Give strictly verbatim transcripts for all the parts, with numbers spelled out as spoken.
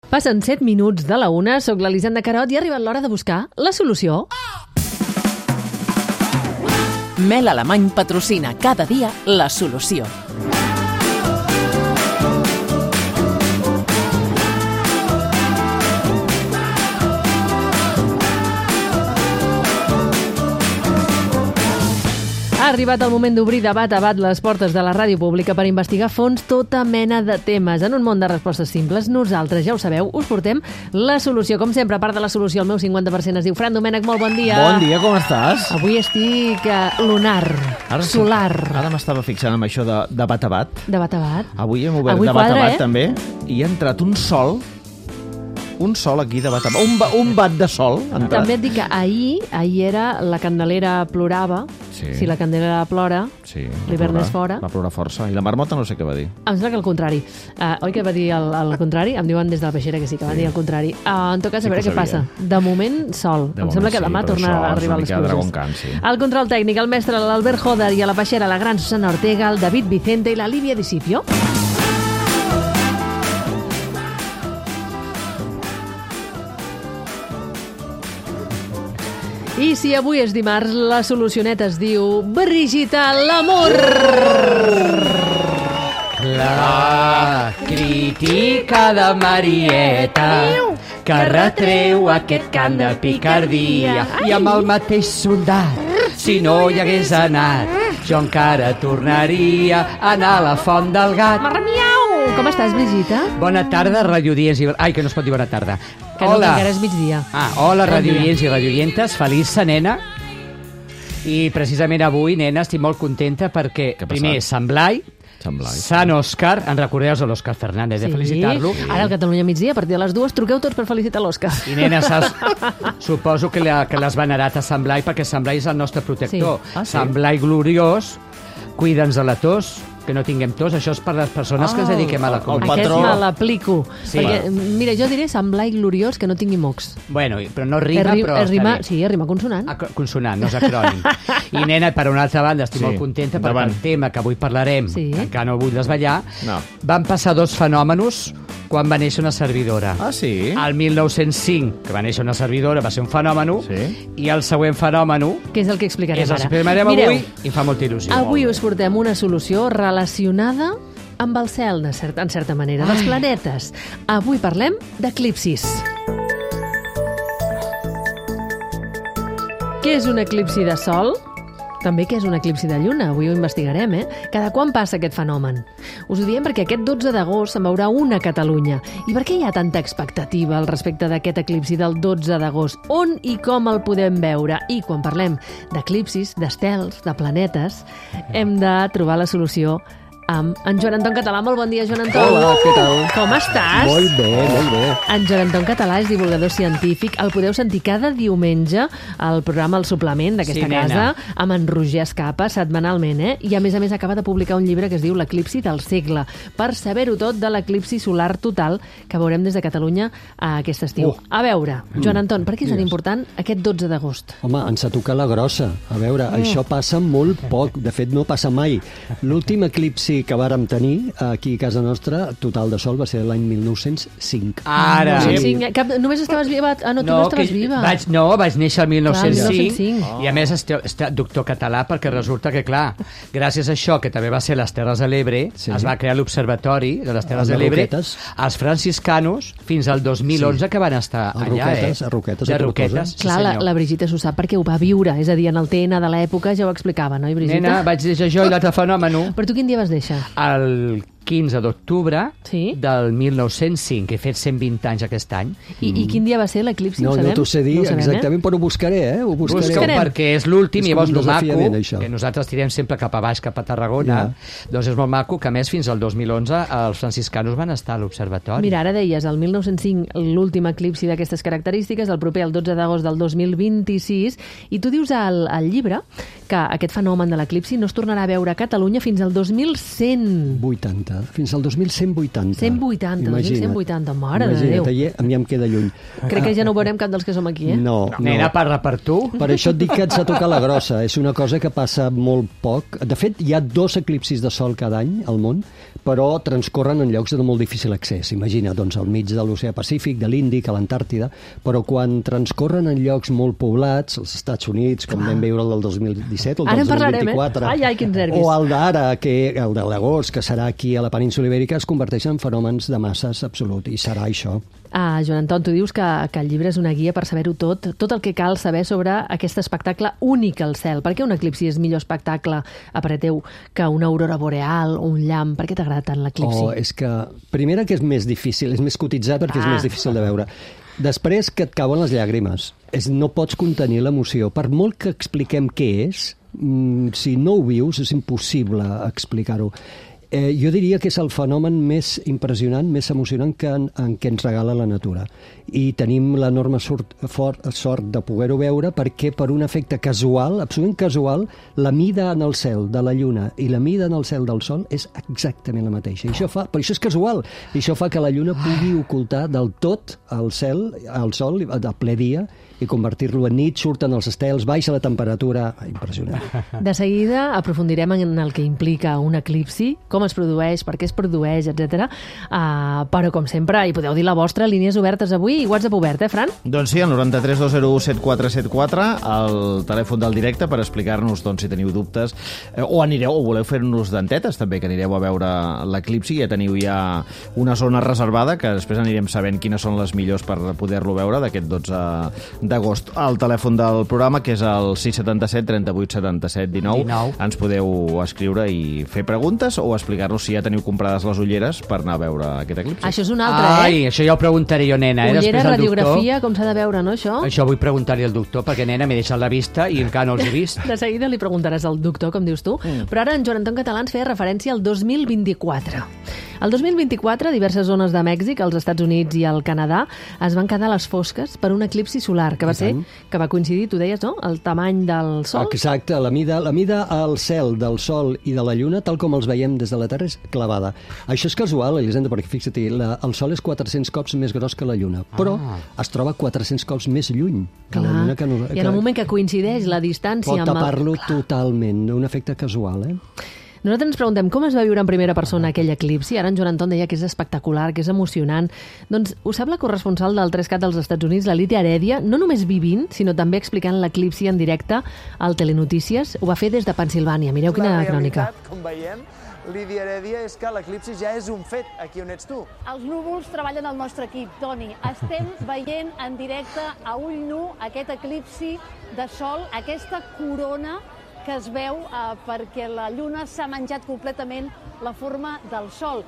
Passen set minuts de la una, soc l'Elisenda Carot i ha arribat l'hora de buscar la solució. Mel Alemany patrocina cada dia la solució. Ha arribat el moment d'obrir de bat a bat les portes de la ràdio pública per investigar a fons tota mena de temes. En un món de respostes simples, nosaltres, ja ho sabeu, us portem la solució. Com sempre, a part de la solució, el meu cinquanta per cent es diu Fran Domènech. Molt bon dia. Bon dia, com estàs? Avui estic uh, lunar, ara, solar. Ara m'estava fixant en això de, de bat a bat. De bat a bat. Avui hem obert Avui de bat quadra, a bat, eh? també, i ha entrat un sol... Un sol aquí de bat a bat. Un, ba, un bat de sol ha entrat. També et dic que ahir, ahir era la Candelera plorava. Sí. Si la Candelera plora, sí, l'hivern és fora. Va plorar força. I la marmota no sé què va dir. Em sembla que el contrari. Uh, oi que va dir el, el contrari? Em diuen des de la peixera que sí, que sí. Va dir el contrari. Uh, en tot cas, sí a veure què passa. De moment, sol. De em moment, sembla que demà sí, tornarà a arribar a les pluges. Can, sí. El control tècnic, el mestre, l'Albert Joder, i a la peixera, la gran Susana Ortega, el David Vicente i la Lívia Discipio. I si avui és dimarts, la solucioneta es diu Brigitte l'amor. La crítica de Marieta que retreu aquest cant de picardia i amb el mateix soldat, si no hi hagués anat, jo encara tornaria a anar a la font del gat. Marmiau! Com estàs, Brigitte? Bona tarda, radioients i... Ai, que no es pot dir bona tarda. Que no, que encara és migdia. Ah, hola, radioients i radioientes. Feliç sa nena. I precisament avui, nena, estic molt contenta perquè, primer, Sant Blai, Sant Blai. Sant Òscar, en recordeu a l'Òscar Fernández, sí. de felicitar-lo. Ara al Catalunya migdia, a partir de les dues, truqueu tots per felicitar l'Òscar. I nena, saps, suposo que, la, que l'has venerat a Sant Blai perquè Sant Blai és el nostre protector. Sí. Ah, sí? Sant Blai gloriós, cuida'ns de la tos, que no tinguem tos, això és per les persones oh, que ens dediquem a la comunitat. Aquest me l'aplico. Sí. Perquè, mira, jo diré Sant Blai gloriós que no tingui mocs. Bueno, però no rima, ri però rima, està bé. Sí, rima consonant. Ah, consonant, no és acrònim. I, nena, per una altra banda, estic sí. molt contenta perquè Davant. el tema que avui parlarem, sí. que encara no vull desvetllar, no. van passar dos fenòmenos quan va néixer una servidora. Ah, sí? El mil nou-cents cinc, que va néixer una servidora, va ser un fenomen, sí. i el següent fenomen... Que és el que explicarem és el ara. que explicarem Mireu, avui i fa molta il·lusió. Avui us portem una solució relacionada amb el cel, de certa, en certa manera, dels planetes. Avui parlem d'eclipsis. Què és un eclipsi de sol? També què és un eclipsi de lluna? Avui ho investigarem, eh? Cada quan passa aquest fenomen? Us ho diem perquè aquest dotze d'agost se'n veurà una a Catalunya. I per què hi ha tanta expectativa al respecte d'aquest eclipsi del dotze d'agost? On i com el podem veure? I quan parlem d'eclipsis, d'estels, de planetes, hem de trobar la solució amb en Joan Anton Català. Molt bon dia, Joan Anton. Hola, què tal? Com estàs? Molt bé, molt bé. En Joan Anton Català és divulgador científic. El podeu sentir cada diumenge al programa El Suplement d'aquesta sí, casa, nena. amb en Roger Escapa, setmanalment, eh? I a més a més acaba de publicar un llibre que es diu L'eclipsi del segle, per saber-ho tot de l'eclipsi solar total que veurem des de Catalunya a aquest estiu. Oh. A veure, Joan Anton, per què és tan Digues. important aquest dotze d'agost? Home, ens ha tocat la grossa. A veure, mm. això passa molt poc. De fet, no passa mai. L'últim eclipsi que vàrem tenir aquí a casa nostra, total de sol, va ser l'any mil nou-cents cinc. Ara! Sí, sí. Cap, només estaves viva? Ah, no, tu no, no estaves viva. Vaig, no, vaig néixer el mil nou-cents cinc, Clar, mil nou-cents cinc. Oh. I a més estic, estic doctor català perquè resulta que, clar, gràcies a això, que també va ser les Terres de l'Ebre, sí. es va crear l'Observatori de les Terres de de l'Ebre, Roquetes. Els franciscanos, fins al dos mil onze sí. que van estar a allà, Roquetes, eh? A Roquetes, de a Roquetes, sí, Clar, la, la Brigitte s'ho sap perquè ho va viure, és a dir, en el T N de l'època ja ho explicava, no, Brigitte? Nena, vaig deixar jo i l'altre fenòmeno. Però tu quin dia vas deixar? El quinze d'octubre sí? del mil nou-cents cinc, he fet cent vint anys aquest any. I, mm. i quin dia va ser l'eclipsi? No, ho sabem? no t'ho sé dir no sabem, exactament, eh? però ho buscaré, eh? Ho buscaré. Busca-ho perquè és l'últim, i llavors el maco, això. que nosaltres tirem sempre cap a baix, cap a Tarragona, ja. doncs és molt maco que, a més, fins al dos mil onze els franciscanos van estar a l'observatori. Mira, ara deies, el mil nou-cents cinc, l'últim eclipsi d'aquestes característiques, el proper, el dotze d'agost del dos mil vint-i-sis, i tu dius al, al llibre que aquest fenomen de l'eclipsi no es tornarà a veure a Catalunya fins al dos mil cent. vuitanta, fins al dos mil cent vuitanta. cent vuitanta, dos mil cent vuitanta, mare de Déu. Imagina't, a mi em queda lluny. Crec que ja no ho veurem cap dels que som aquí, eh? No, no. Nena, parla per tu. Per això et dic que ens ha tocat la grossa. És una cosa que passa molt poc. De fet, hi ha dos eclipsis de sol cada any al món, però transcorren en llocs de molt difícil accés. Imagina, doncs, al mig de l'oceà Pacífic, de l'Índic, a l'Antàrtida, però quan transcorren en llocs molt poblats, als Estats Units, com vam veure el del dos mil disset, el del dos mil vint-i-quatre, eh? ai, ai, quins nervis. o el d'ara, que el de l'agost, que serà aquí a la península Ibèrica, es converteixen en fenòmens de masses absolut, i serà això. Ah, Joan Anton, tu dius que, que el llibre és una guia per saber-ho tot, tot el que cal saber sobre aquest espectacle únic al cel. Per què un eclipsi és millor espectacle, a parer teu, que una aurora boreal o un llamp? Per què t'agrada tant l'eclipsi? Oh, és que, primera, que és més difícil, és més cotitzat perquè ah. és més difícil de veure. Després, que et cauen les llàgrimes. És, no pots contenir l'emoció. Per molt que expliquem què és, mm, si no ho vius, és impossible explicar-ho. Eh, jo diria que és el fenomen més impressionant, més emocionant que en, en què ens regala la natura. I tenim l'enorme sort, fort, sort de poder-ho veure perquè per un efecte casual, absolutament casual, la mida en el cel de la Lluna i la mida en el cel del Sol és exactament la mateixa. I això fa, però això és casual. I això fa que la Lluna pugui ocultar del tot el cel, el Sol, a ple dia, i convertir-lo en nit, surten els estels, baixa la temperatura... Impressionant. De seguida aprofundirem en el que implica un eclipsi, com es produeix, per què es produeix, etcètera. Uh, però, com sempre, hi podeu dir la vostra, línies obertes avui i WhatsApp obert, eh, Fran? Doncs sí, el noranta-tres dos zero u set quatre set quatre, el telèfon del directe per explicar-nos doncs, si teniu dubtes, eh, o anireu, o voleu fer-nos dentetes també, que anireu a veure l'eclipsi, ja teniu ja una zona reservada, que després anirem sabent quines són les millors per poder-lo veure d'aquest dotze d'agost. El telèfon del programa, que és el sis set set, trenta-vuit, setanta-set, dinou, ens podeu escriure i fer preguntes o explicar-nos si ja teniu comprades les ulleres per anar a veure aquest eclipsi. Això és un altre, Ai, eh? això ja ho preguntaré jo, nena. Eh? Ullera, radiografia, com s'ha de veure, no, això? Això vull preguntar-li al doctor, perquè, nena, m'he deixat la vista i encara no els he vist. De seguida li preguntaràs al doctor, com dius tu. Mm. Però ara en Joan Anton Català ens feia referència al dos mil vint-i-quatre. El dos mil vint-i-quatre, diverses zones de Mèxic, als Estats Units i al Canadà, es van quedar a les fosques per un eclipsi solar, que va ser, que va coincidir, tu deies, no?, el tamany del Sol. Exacte, la mida, la mida al cel del Sol i de la Lluna, tal com els veiem des de la Terra, és clavada. Això és casual, Elisenda, perquè fixa't-hi, el Sol és quatre-cents cops més gros que la Lluna, però ah. es troba quatre-cents cops més lluny que Clar. la Lluna. Que no, I en el moment que coincideix la distància... Pot tapar-lo el... totalment, un efecte casual, eh? Nosaltres ens preguntem com es va viure en primera persona aquell eclipsi. Ara en Joan Anton deia que és espectacular, que és emocionant. Doncs ho sap la corresponsal del tres cat dels Estats Units, la Lídia Herèdia, no només vivint, sinó també explicant l'eclipsi en directe al Telenotícies. Ho va fer des de Pensilvània. Mireu quina crònica. La realitat, com veiem, Lídia Herèdia, és que l'eclipsi ja és un fet aquí on ets tu. Els núvols treballen al nostre equip, Toni. Estem veient en directe a ull nu aquest eclipsi de sol, aquesta corona que es veu eh, perquè la Lluna s'ha menjat completament la forma del Sol.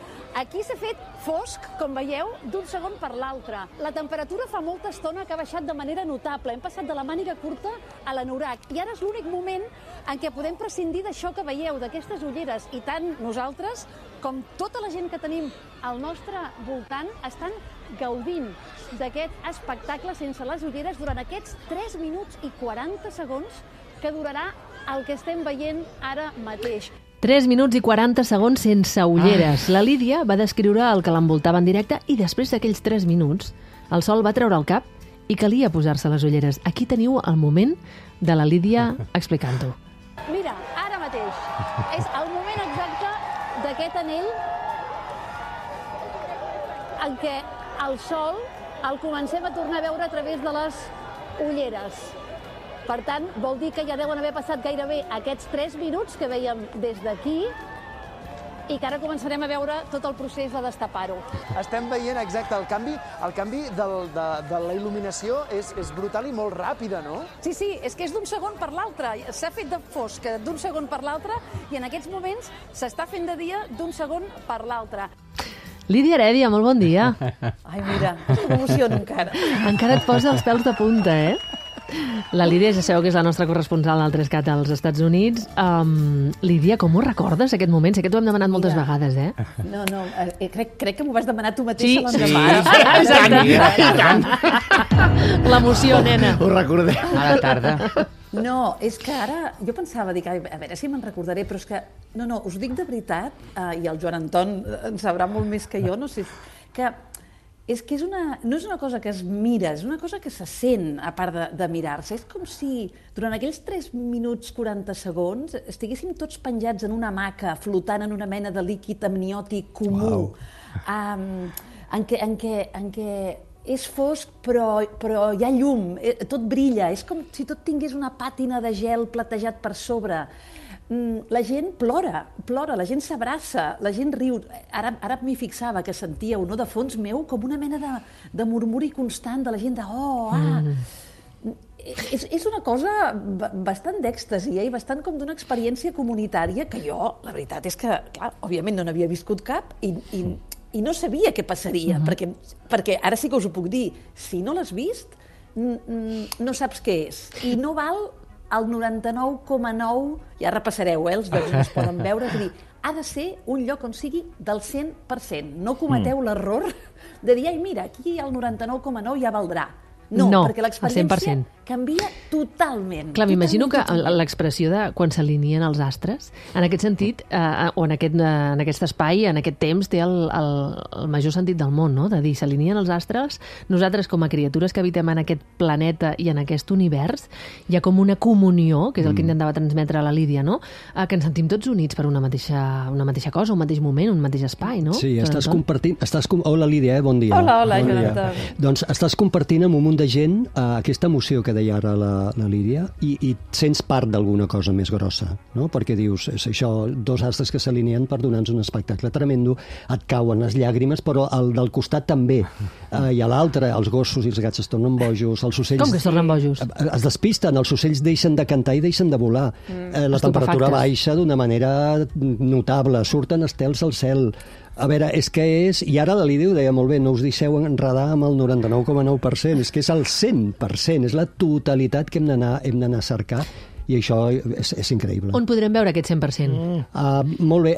Aquí s'ha fet fosc, com veieu, d'un segon per l'altre. La temperatura fa molta estona que ha baixat de manera notable. Hem passat de la màniga curta a l'anorac. I ara és l'únic moment en què podem prescindir d'això que veieu, d'aquestes ulleres. I tant nosaltres com tota la gent que tenim al nostre voltant estan gaudint d'aquest espectacle sense les ulleres durant aquests tres minuts i quaranta segons que durarà el que estem veient ara mateix. tres minuts i quaranta segons sense ulleres. Ah. La Lídia va descriure el que l'envoltava en directe i després d'aquells tres minuts el Sol va treure el cap i calia posar-se les ulleres. Aquí teniu el moment de la Lídia explicant-ho. Mira, ara mateix. És el moment exacte d'aquest anell en què el Sol el comencem a tornar a veure a través de les ulleres. Per tant, vol dir que ja deuen haver passat gairebé aquests tres minuts que veiem des d'aquí i que ara començarem a veure tot el procés de destapar-ho. Estem veient exacte el canvi, el canvi del, de, de la il·luminació és, és brutal i molt ràpida, no? Sí, sí, és que és d'un segon per l'altre. S'ha fet de fosc d'un segon per l'altre i en aquests moments s'està fent de dia d'un segon per l'altre. Lídia Herèdia, molt bon dia. Ai, mira, m'emociono encara. Encara et posa els pèls de punta, eh? La Lídia, ja sabeu que és la nostra corresponsal al tres cat als Estats Units. Um, Lídia, com ho recordes, aquest moment? Sé que t'ho hem demanat moltes Mira. vegades, eh? No, no, eh, crec, crec que m'ho vas demanar tu mateixa sí, l'endemà. Sí, sí, exacte. L'emoció, nena. Ho recordem. A la tarda. No, és que ara, jo pensava, dic, a veure si me'n recordaré, però és que, no, no, us dic de veritat, eh, i el Joan Anton en sabrà molt més que jo, no sé, que és que és una, no és una cosa que es mira, és una cosa que se sent, a part de, de mirar-se. És com si durant aquells tres minuts quaranta segons estiguéssim tots penjats en una hamaca, flotant en una mena de líquid amniòtic comú, wow. um, en, què, en, què, en què és fosc però, però hi ha llum, tot brilla, és com si tot tingués una pàtina de gel platejat per sobre. La gent plora, plora, la gent s'abraça, la gent riu. Ara, ara m'hi fixava que sentíeu, no, de fons meu, com una mena de, de murmuri constant de la gent de oh, ah... Mm. És, és una cosa bastant d'èxtasi, eh? I bastant com d'una experiència comunitària que jo, la veritat és que, clar, òbviament no n'havia viscut cap i, i, i no sabia què passaria, uh-huh. perquè, perquè ara sí que us ho puc dir, si no l'has vist, no saps què és. I no val el noranta-nou coma nou, ja repassareu, eh, els llocs on es poden veure, és a dir, ha de ser un lloc on sigui del cent per cent. No cometeu mm. l'error de dir, ai, mira, aquí el noranta-nou coma nou ja valdrà. No, no, perquè l'experiència canvia totalment. Clar, m'imagino que l'expressió de quan s'alineen els astres, en aquest sentit, eh, o en aquest, en aquest espai, en aquest temps, té el, el, el major sentit del món, no? De dir, s'alineen els astres, nosaltres com a criatures que habitem en aquest planeta i en aquest univers, hi ha com una comunió, que és el que intentava transmetre la Lídia, no? Eh, que ens sentim tots units per una mateixa, una mateixa cosa, un mateix moment, un mateix espai, no? Sí, estàs compartint... Estàs com... Hola, Lídia, eh? Bon dia. Hola, hola, bon Jonathan. Doncs estàs compartint amb un munt de gent eh, aquesta emoció que deia ara la, la Lídia i, i sents part d'alguna cosa més grossa, no? Perquè dius, és això, dos astres que s'alineen per donar-nos un espectacle tremendo, et cauen les llàgrimes, però el del costat també. Eh, I a l'altre, els gossos i els gats es tornen bojos, els ocells... Com que es tornen bojos? Es despisten, els ocells deixen de cantar i deixen de volar. Mm. Eh, la temperatura baixa d'una manera notable, surten estels al cel. A veure, és que és... I ara la Lídia ho deia molt bé, no us deixeu enredar amb el noranta-nou coma nou per cent, és que és el cent per cent, és la totalitat que hem d'anar hem d'anar a cercar, i això és, és increïble. On podrem veure aquest cent per cent? Mm. Uh, molt bé,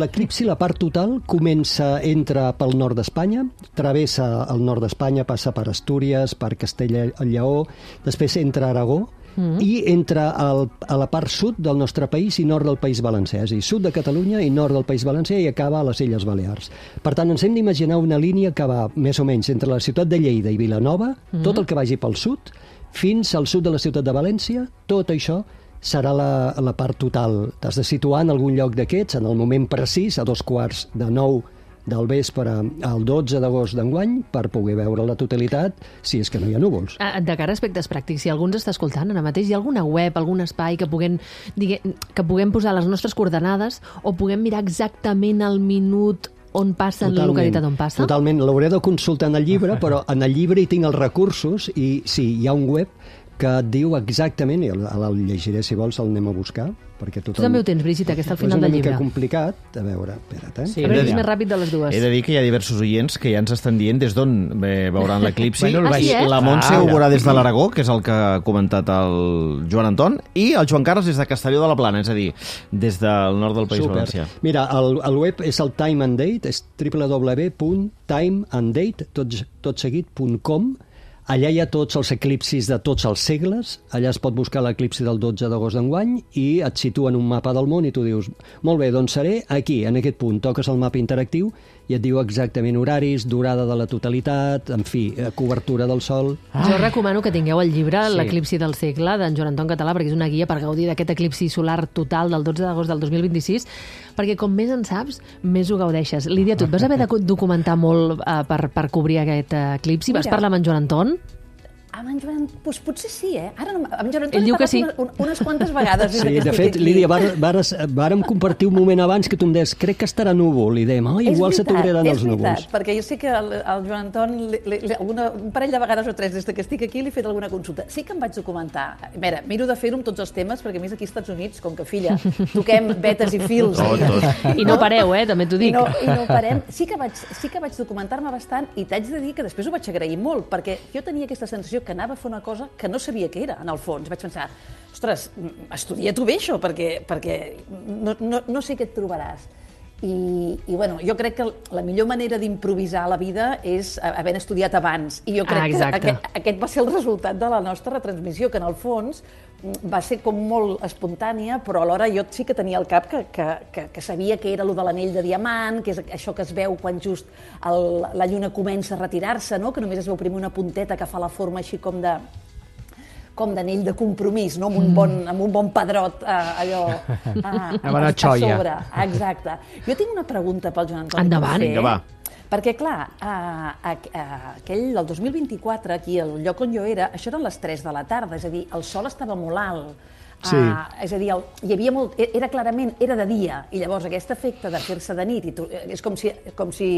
l'eclipsi, la part total, comença, entra pel nord d'Espanya, travessa el nord d'Espanya, passa per Astúries, per Castella i Lleó, després entra a Aragó, Mm. i entra al, a la part sud del nostre país i nord del País Valencià, és a dir, sud de Catalunya i nord del País Valencià i acaba a les Illes Balears. Per tant, ens hem d'imaginar una línia que va més o menys entre la ciutat de Lleida i Vilanova, mm. tot el que vagi pel sud, fins al sud de la ciutat de València, tot això serà la, la part total. T'has de situar en algun lloc d'aquests, en el moment precís, a dos quarts de nou del vespre al dotze d'agost d'enguany per poder veure la totalitat si és que no hi ha núvols. De cara a aspectes pràctics, si algú ens està escoltant ara mateix, hi ha alguna web, algun espai que puguem, digue, que puguem posar les nostres coordenades o puguem mirar exactament el minut on passa, en la localitat on passa? Totalment, l'hauré de consultar en el llibre, però en el llibre hi tinc els recursos i sí, hi ha un web que et diu exactament, i el, el llegiré si vols, el anem a buscar, perquè tothom... Tu també ho tens, Brigitte, que està al final del llibre. És una mica complicat, a veure, espera't, eh? Sí, a veure, és més ràpid de les dues. He de dir que hi ha diversos oients que ja ens estan dient des d'on veuran l'eclipsi. Bueno, ah, sí, eh? La Montse ah, ho veurà des de l'Aragó, que és el que ha comentat el Joan Anton, i el Joan Carles des de Castelló de la Plana, és a dir, des del nord del País Super. Valencià. Mira, el, el web és el Time and Date, és w w w punt time and date tot seguit punt com. Allà hi ha tots els eclipsis de tots els segles, allà es pot buscar l'eclipsi del dotze d'agost d'enguany i et situa en un mapa del món i tu dius, molt bé, doncs seré aquí, en aquest punt, toques el mapa interactiu i et diu exactament horaris, durada de la totalitat, en fi, cobertura del sol. Ah. Jo recomano que tingueu el llibre sí. L'eclipsi del segle d'en Joan Anton Català, perquè és una guia per gaudir d'aquest eclipsi solar total del dotze d'agost del dos mil vint-i-sis, perquè com més en saps, més ho gaudeixes. Lídia, tu et vas haver de documentar molt uh, per, per cobrir aquest uh, eclipsi? Vas Mira. parlar amb en Joan Anton? Amb en Joan, doncs potser sí, eh? Ara no, amb Joan Anton he parlat sí. unes, unes quantes vegades. Sí, de fet, aquí. Lídia, var, vares, vàrem compartir un moment abans que tu em deies, crec que estarà núvol, i dèiem, oh, igual se t'obriran els núvols. És veritat, perquè jo sé que el, el Joan Anton, li, li, alguna, un parell de vegades o tres des que estic aquí, li he fet alguna consulta. Sí que em vaig documentar. A veure, miro de fer-ho amb tots els temes, perquè a més aquí als Estats Units, com que, filla, toquem vetes i fils. Tot, tot. I no pareu, eh? També t'ho dic. I no, i no parem. Sí que vaig, sí que vaig documentar-me bastant i t'haig de dir que després ho vaig agrair molt, perquè jo tenia aquesta sensació que anava a fer una cosa que no sabia què era, en el fons. Vaig pensar, ostres, estudia tu bé això, perquè, perquè no, no, no sé què et trobaràs. I, i bueno, jo crec que la millor manera d'improvisar la vida és havent estudiat abans. I jo crec ah, que aquest, aquest va ser el resultat de la nostra retransmissió, que en el fons va ser com molt espontània, però alhora jo sí que tenia al cap que, que, que, que sabia que era allò de l'anell de diamant, que és això que es veu quan just el, la lluna comença a retirar-se, no? Que només es veu primer una punteta que fa la forma així com de com d'anell de compromís, no? amb, un bon, amb un bon pedrot eh, allò a, a, a sobre. Exacte. Jo tinc una pregunta pel Joan Antoni. Endavant. Vinga, va. Perquè, clar, a, a, a, aquell, el dos mil vint-i-quatre, aquí, al lloc on jo era, això eren les tres de la tarda, és a dir, el sol estava molt alt. Sí. Uh, és a dir, el, hi havia molt, era clarament, era de dia, i llavors aquest efecte de fer-se de nit, i tu, és com si, com si,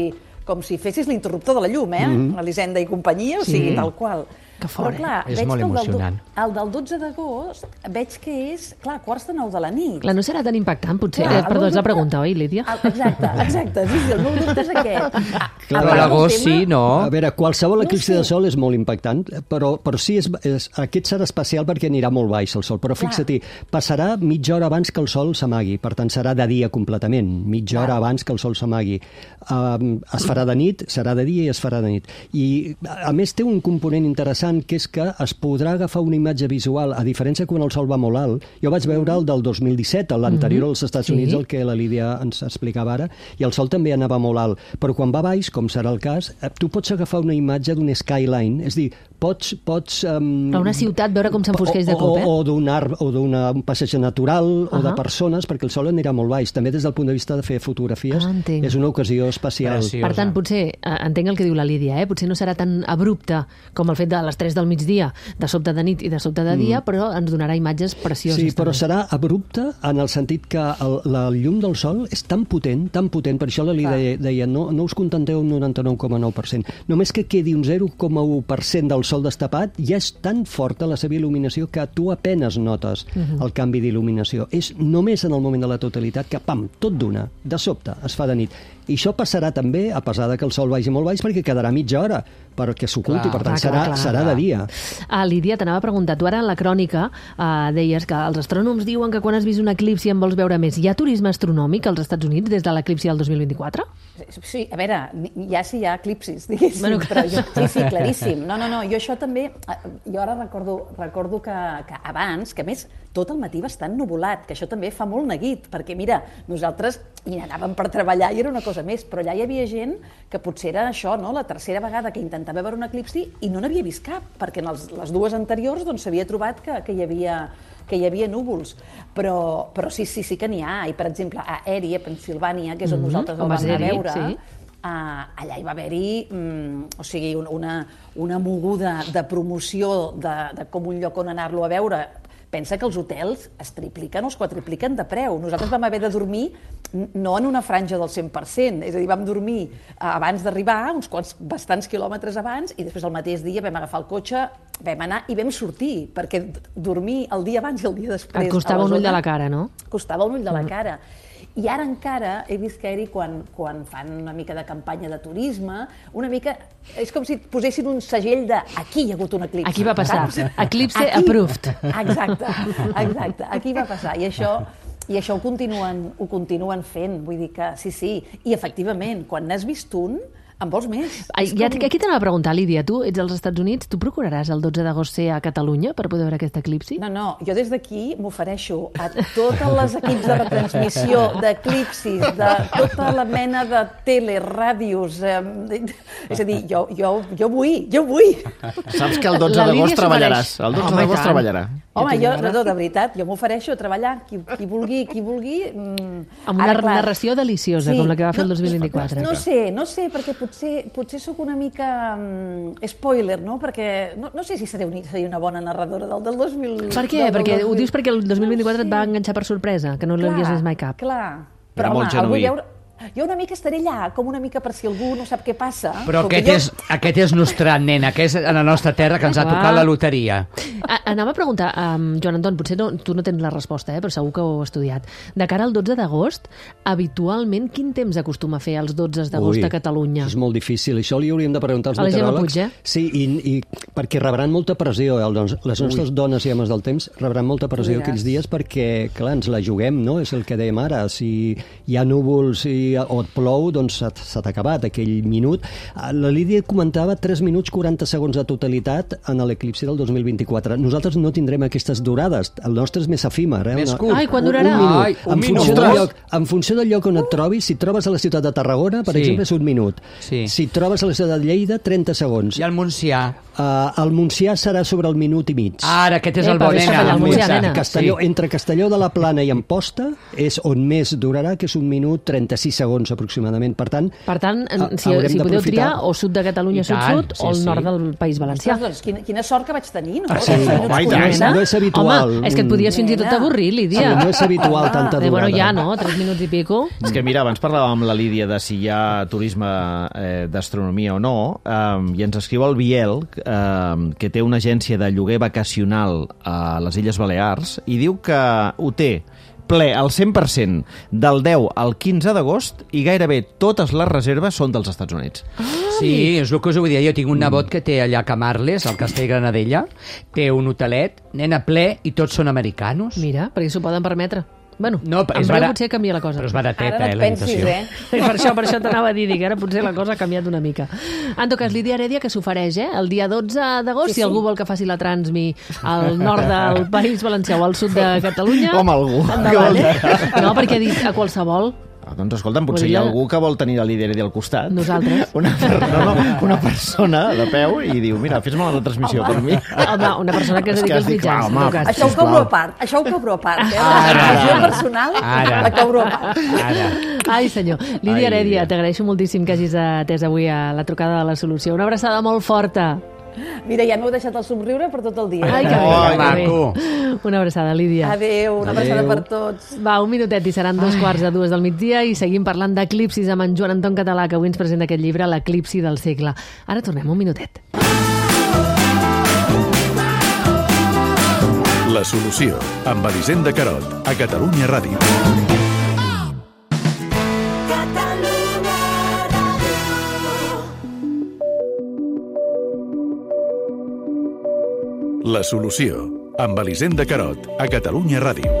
com si fessis l'interruptor de la llum, eh? Mm-hmm. Elisenda i companyia, o sigui, sí. tal qual. Que fort, però, clar, és veig molt que el emocionant. Del, el del dotze d'agost veig que és, clar, quarts de nou de la nit. Clar, no serà tan impactant, potser. Clar, eh, perdó, és la dubte... pregunta, oi, Lídia? El, exacte, exacte. Sí, sí, el meu dubte és aquest. A, Clar, a l'agost sí, no? A veure, qualsevol No eclipsi sé. de sol és molt impactant, però, però sí, és, és, aquest serà especial perquè anirà molt baix el sol. Però fixa-t'hi, passarà mitja hora abans que el sol s'amagui, per tant serà de dia completament, mitja hora abans que el sol s'amagui. Um, es farà de nit, serà de dia i es farà de nit. I, a més, té un component interessant, que és que es podrà agafar una imatge visual, a diferència quan el sol va molt alt. Jo vaig veure el del dos mil disset, l'anterior als Estats Sí. Units, el que la Lídia ens explicava ara, i el sol també anava molt alt. Però quan va baix, com serà el cas, eh, tu pots agafar una imatge d'un skyline, és a dir, pots... pots um, Però una ciutat, veure com s'enfosqueix de cop, eh? O, o d'un arbre, o d'un passeig natural, uh -huh. o de Ahà. persones, perquè el sol anirà molt baix. També des del punt de vista de fer fotografies, Ah, entenc. és una ocasió especial. Preciós. Per tant, potser, eh, entenc el que diu la Lídia, eh? Potser no serà tan abrupte com el fet de les tres del migdia, de sobte de nit i de sobte de dia, mm. però ens donarà imatges precioses. Sí, però també. serà abrupte en el sentit que el, la llum del sol és tan potent, tan potent, per això la Lídia deia, deia no, no us contenteu un noranta-nou coma nou per cent. Només que quedi un zero coma u per cent del sol destapat, ja és tan forta la seva il·luminació que tu apenes notes Mhm. el canvi d'il·luminació. És només en el moment de la totalitat que, pam, tot d'una, de sobte, es fa de nit. I això passarà també, a pesar de que el sol vagi molt baix, perquè quedarà mitja hora perquè s'oculti, Clar, per tant, clar, serà, clar, serà de dia. Ah, Lídia, t'anava a preguntar, tu ara en la crònica eh, deies que els astrònoms diuen que quan has vist un eclipsi en vols veure més. Hi ha turisme astronòmic als Estats Units des de l'eclipsi del dos mil vint-i-quatre? Sí, a veure, ja sí hi ha eclipsis, diguéssim, Bueno, bueno, però jo, sí, sí, claríssim. No, no, no, jo això també, jo ara recordo, recordo que, que abans, que a més tot el matí va estar ennuvolat, que això també fa molt neguit, perquè mira, nosaltres hi anàvem per treballar i era una cosa més, però allà hi havia gent que potser era això, no?, la tercera vegada que intentava veure un eclipsi i no n'havia vist cap, perquè en els, les dues anteriors doncs s'havia trobat que, que hi havia que hi havia núvols, però, però sí, sí, sí que n'hi ha, i per exemple a Erie, a Pensilvània, que és on Mhm, nosaltres el on vam vas anar a anar-hi, veure, sí. Uh, allà hi va haver-hi um, o sigui, un, una, una moguda de promoció de, de com un lloc on anar-lo a veure. Pensa que els hotels es tripliquen o es quadripliquen de preu. Nosaltres vam haver de dormir no en una franja del cent per cent, és a dir, vam dormir abans d'arribar, uns quants bastants quilòmetres abans, i després el mateix dia vam agafar el cotxe, vam anar i vam sortir, perquè dormir el dia abans i el dia després... Et costava a la un ull zona, de la cara, no? Costava un ull de la cara. I ara encara he vist que Eri, quan, quan fan una mica de campanya de turisme, una mica... És com si et posessin un segell de aquí hi ha hagut un eclipsi. Aquí va passar. Saps? Eclipse Aquí. approved. Exacte, exacte. Aquí va passar. I això, i això ho, continuen, ho continuen fent. Vull dir que sí, sí. I efectivament, quan n'has vist un, en vols més. Ai, És ja, com- aquí t'anava a preguntar, Lídia, tu ets als Estats Units, tu procuraràs el dotze d'agost ser a Catalunya per poder veure aquest eclipsi? No, no, jo des d'aquí m'ofereixo a totes les equips de retransmissió, d'eclipsis, de tota la mena de tele, ràdios... Eh, és a dir, jo, jo, jo vull, jo vull. Saps que el dotze La Lídia d'agost s'ho treballaràs. mereix. El dotze Home, i d'agost tant. treballarà. Home, Jo jo, tinc no, de veritat, jo m'ofereixo a treballar, qui, qui vulgui, qui vulgui... Mm, Amb una ara, clar, narració deliciosa, com la que va fer el dos mil vint-i-quatre. No, no sé, no sé, perquè potser, potser sóc una mica um, spoiler, no? Perquè no, no sé si seré, un, seré una bona narradora del, del dos mil... Per què? del, del Perquè dos ho mil. dius perquè el dos mil vint-i-quatre No et va sé. enganxar per sorpresa, que no l'havies vist mai cap. Clar, Era però home, molt el vull genuí. veure... Jo una mica estaré allà, com una mica per si algú no sap què passa. Però Com que aquest, jo- és, aquest és nostrat, nena, que és a la nostra terra que ens ha Clar. tocat la loteria. A, anava a preguntar, um, Joan Anton, potser no, tu no tens la resposta, eh, però segur que ho heu estudiat. De cara al dotze d'agost, habitualment quin temps acostuma a fer els dotze d'agost Ui, a Catalunya? És molt difícil. Això li hauríem de preguntar als A la Gemma meteoròlegs. Puig, eh? Sí, i, i perquè rebran molta pressió. Eh? Doncs, les nostres Ui. dones i homes del temps rebran molta pressió Diràs. aquells dies perquè, clar, ens la juguem, no? És el que dèiem ara. Si hi ha núvols i i, o et plou, doncs s'ha s'ha acabat aquell minut. La Lídia comentava tres minuts quaranta segons de totalitat en l'eclipsi del dos mil vint-i-quatre. Nosaltres no tindrem aquestes durades. El nostre és més efímer. Eh? Més Una- curt. Ai, quan durarà? Un minut. Ai, un en, minut. funció del Ostres. lloc, en funció del lloc on et trobis, si et trobes a la ciutat de Tarragona, per Sí. exemple, és un minut. Sí. Si et trobes a la ciutat de Lleida, trenta segons. I el Montsià? Uh, el Montsià serà sobre el minut i mig. Ara, aquest és el Epa, bo, deixa nena. callar el el Montsià, Montsià. nena. Castelló, Sí. Entre Castelló de la Plana i Amposta és on més durarà, que és un minut trenta-sis segons aproximadament. Per tant, Per tant, ha- si, haurem si podeu d'aprofitar- triar o sud de Catalunya, I tant, sud-sud, sí, o el sí. nord del País Valencià. Ostres, doncs, quina, quina sort que vaig tenir, no? Ah, sí? Tres minuts Home, i tant. quaranta. No és- no és habitual. Home, és que et podies fins i tot Nena. avorrir, Lídia. Sí, no és habitual tanta Eh, bueno, durada. ja, no? Tres minuts i pico. És que mira, abans parlàvem amb la Lídia de si hi ha turisme eh, d'astronomia o no, eh, i ens escriu el Biel, eh, que té una agència de lloguer vacacional a les Illes Balears, i diu que ho té ple al cent per cent del deu al quinze d'agost i gairebé totes les reserves són dels Estats Units. Sí, és el que us vull dir. Jo tinc un nebot que té allà a Camarles, al Castell Granadella, té un hotelet, nena ple, i tots són americanos. Mira, perquè s'ho poden permetre. Bueno, No, en és breu barat- potser canvia la cosa. Però és barateta, Ara no eh, et la pensis, habitació. eh? Per això, per això t'anava a dir, dic, ara potser la cosa ha canviat una mica. En tot cas, Lídia Heredia, que s'ofereix, eh? El dia dotze d'agost, Sí, si sí. algú vol que faci la Transmi al nord del País Valencià o al sud de Catalunya... Home, algú. Endavant, eh? No, perquè ha dit a qualsevol. Ah, doncs escolta'm, potser hi ha Podria- algú que vol tenir la Lídia Heredia al costat. Nosaltres. Una, per... no, no, una persona de peu i diu, mira, fes-me la retransmissió per mi. Home, una persona que es És que dedica has als dit, mitjans. clar, en home, tot cas. Això ho Sisplau. cobro a part, això ho cobro a part, eh? Ara, La ara. visió personal Ara. la cobro a part. Ara. Ai, senyor. Lídia Ai, Heredia, Lídia. t'agraeixo moltíssim que hagis atès avui a la trucada de la solució. Una abraçada molt forta. Mira, ja m'heu deixat el somriure per tot el dia. Ai, que bé, Ai, que bé. maco. Una abraçada, Lídia. Adéu, una abraçada Adéu. per tots. Va, un minutet i seran dos quarts de dues del migdia i seguim parlant d'eclipsis amb en Joan Anton Català, que avui ens presenta aquest llibre, L'eclipsi del segle. Ara tornem un minutet. La solució, amb Elisenda Carot, a Catalunya Ràdio. La solució, amb Elisenda Carot, a Catalunya Ràdio.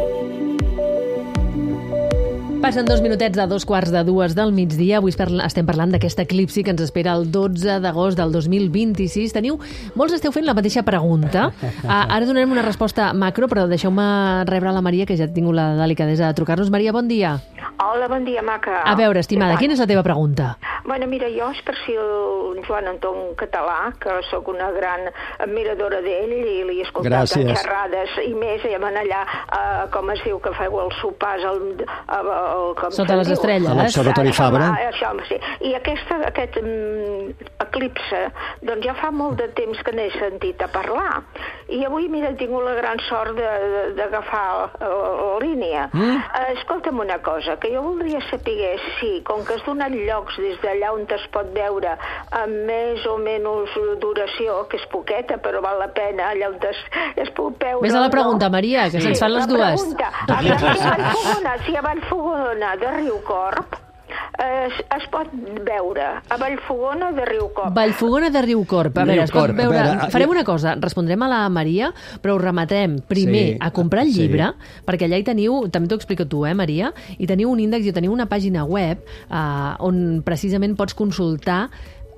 Passen dos minutets de dos quarts de dues del migdia. Avui estem parlant d'aquest eclipsi que ens espera el dotze d'agost del dos mil vint-i-sis. Teniu, molts esteu fent la mateixa pregunta. Uh, ara donarem una resposta macro, però deixeu-me rebre la Maria, que ja ha tingut la delicadesa de trucar-nos. Maria, bon dia. Hola, bon dia, maca. A veure, estimada, quina és la teva pregunta? Bueno, mira, jo és per si el Joan Anton Català, que sóc una gran admiradora d'ell i li he escoltat Gràcies. en xerrades i més, i van allà, uh, com es diu, que feu els sopars al, al, al, com Sota se'n les diu? estrelles. A l'Observatori Això, Fabra. va, Això, sí. I aquesta, aquest um, eclipse, doncs ja fa molt de temps que n'he sentit a parlar. I avui, mira, he tingut la gran sort de- de- d'agafar la, la línia. Mm? Uh, escolta'm una cosa, que jo voldria saber si, com que has donat llocs des d'allà on es pot veure amb més o menys duració, que és poqueta, però val la pena, allà on es, es puc veure... Vés a la o no. pregunta, Maria, que se'ns fan les la dues. Pregunta. A Vallfogona, si a Vallfogona de Riucorb es, es pot veure a Vallfogona de Riucorb. Vallfogona de Riucorb. A veure, es pot Riucorb. veure... A veure, Farem una cosa, respondrem a la Maria, però us rematem primer Sí, a comprar el sí. llibre, perquè allà hi teniu, també t'ho explico tu, eh, Maria, i teniu un índex i teniu una pàgina web eh, on precisament pots consultar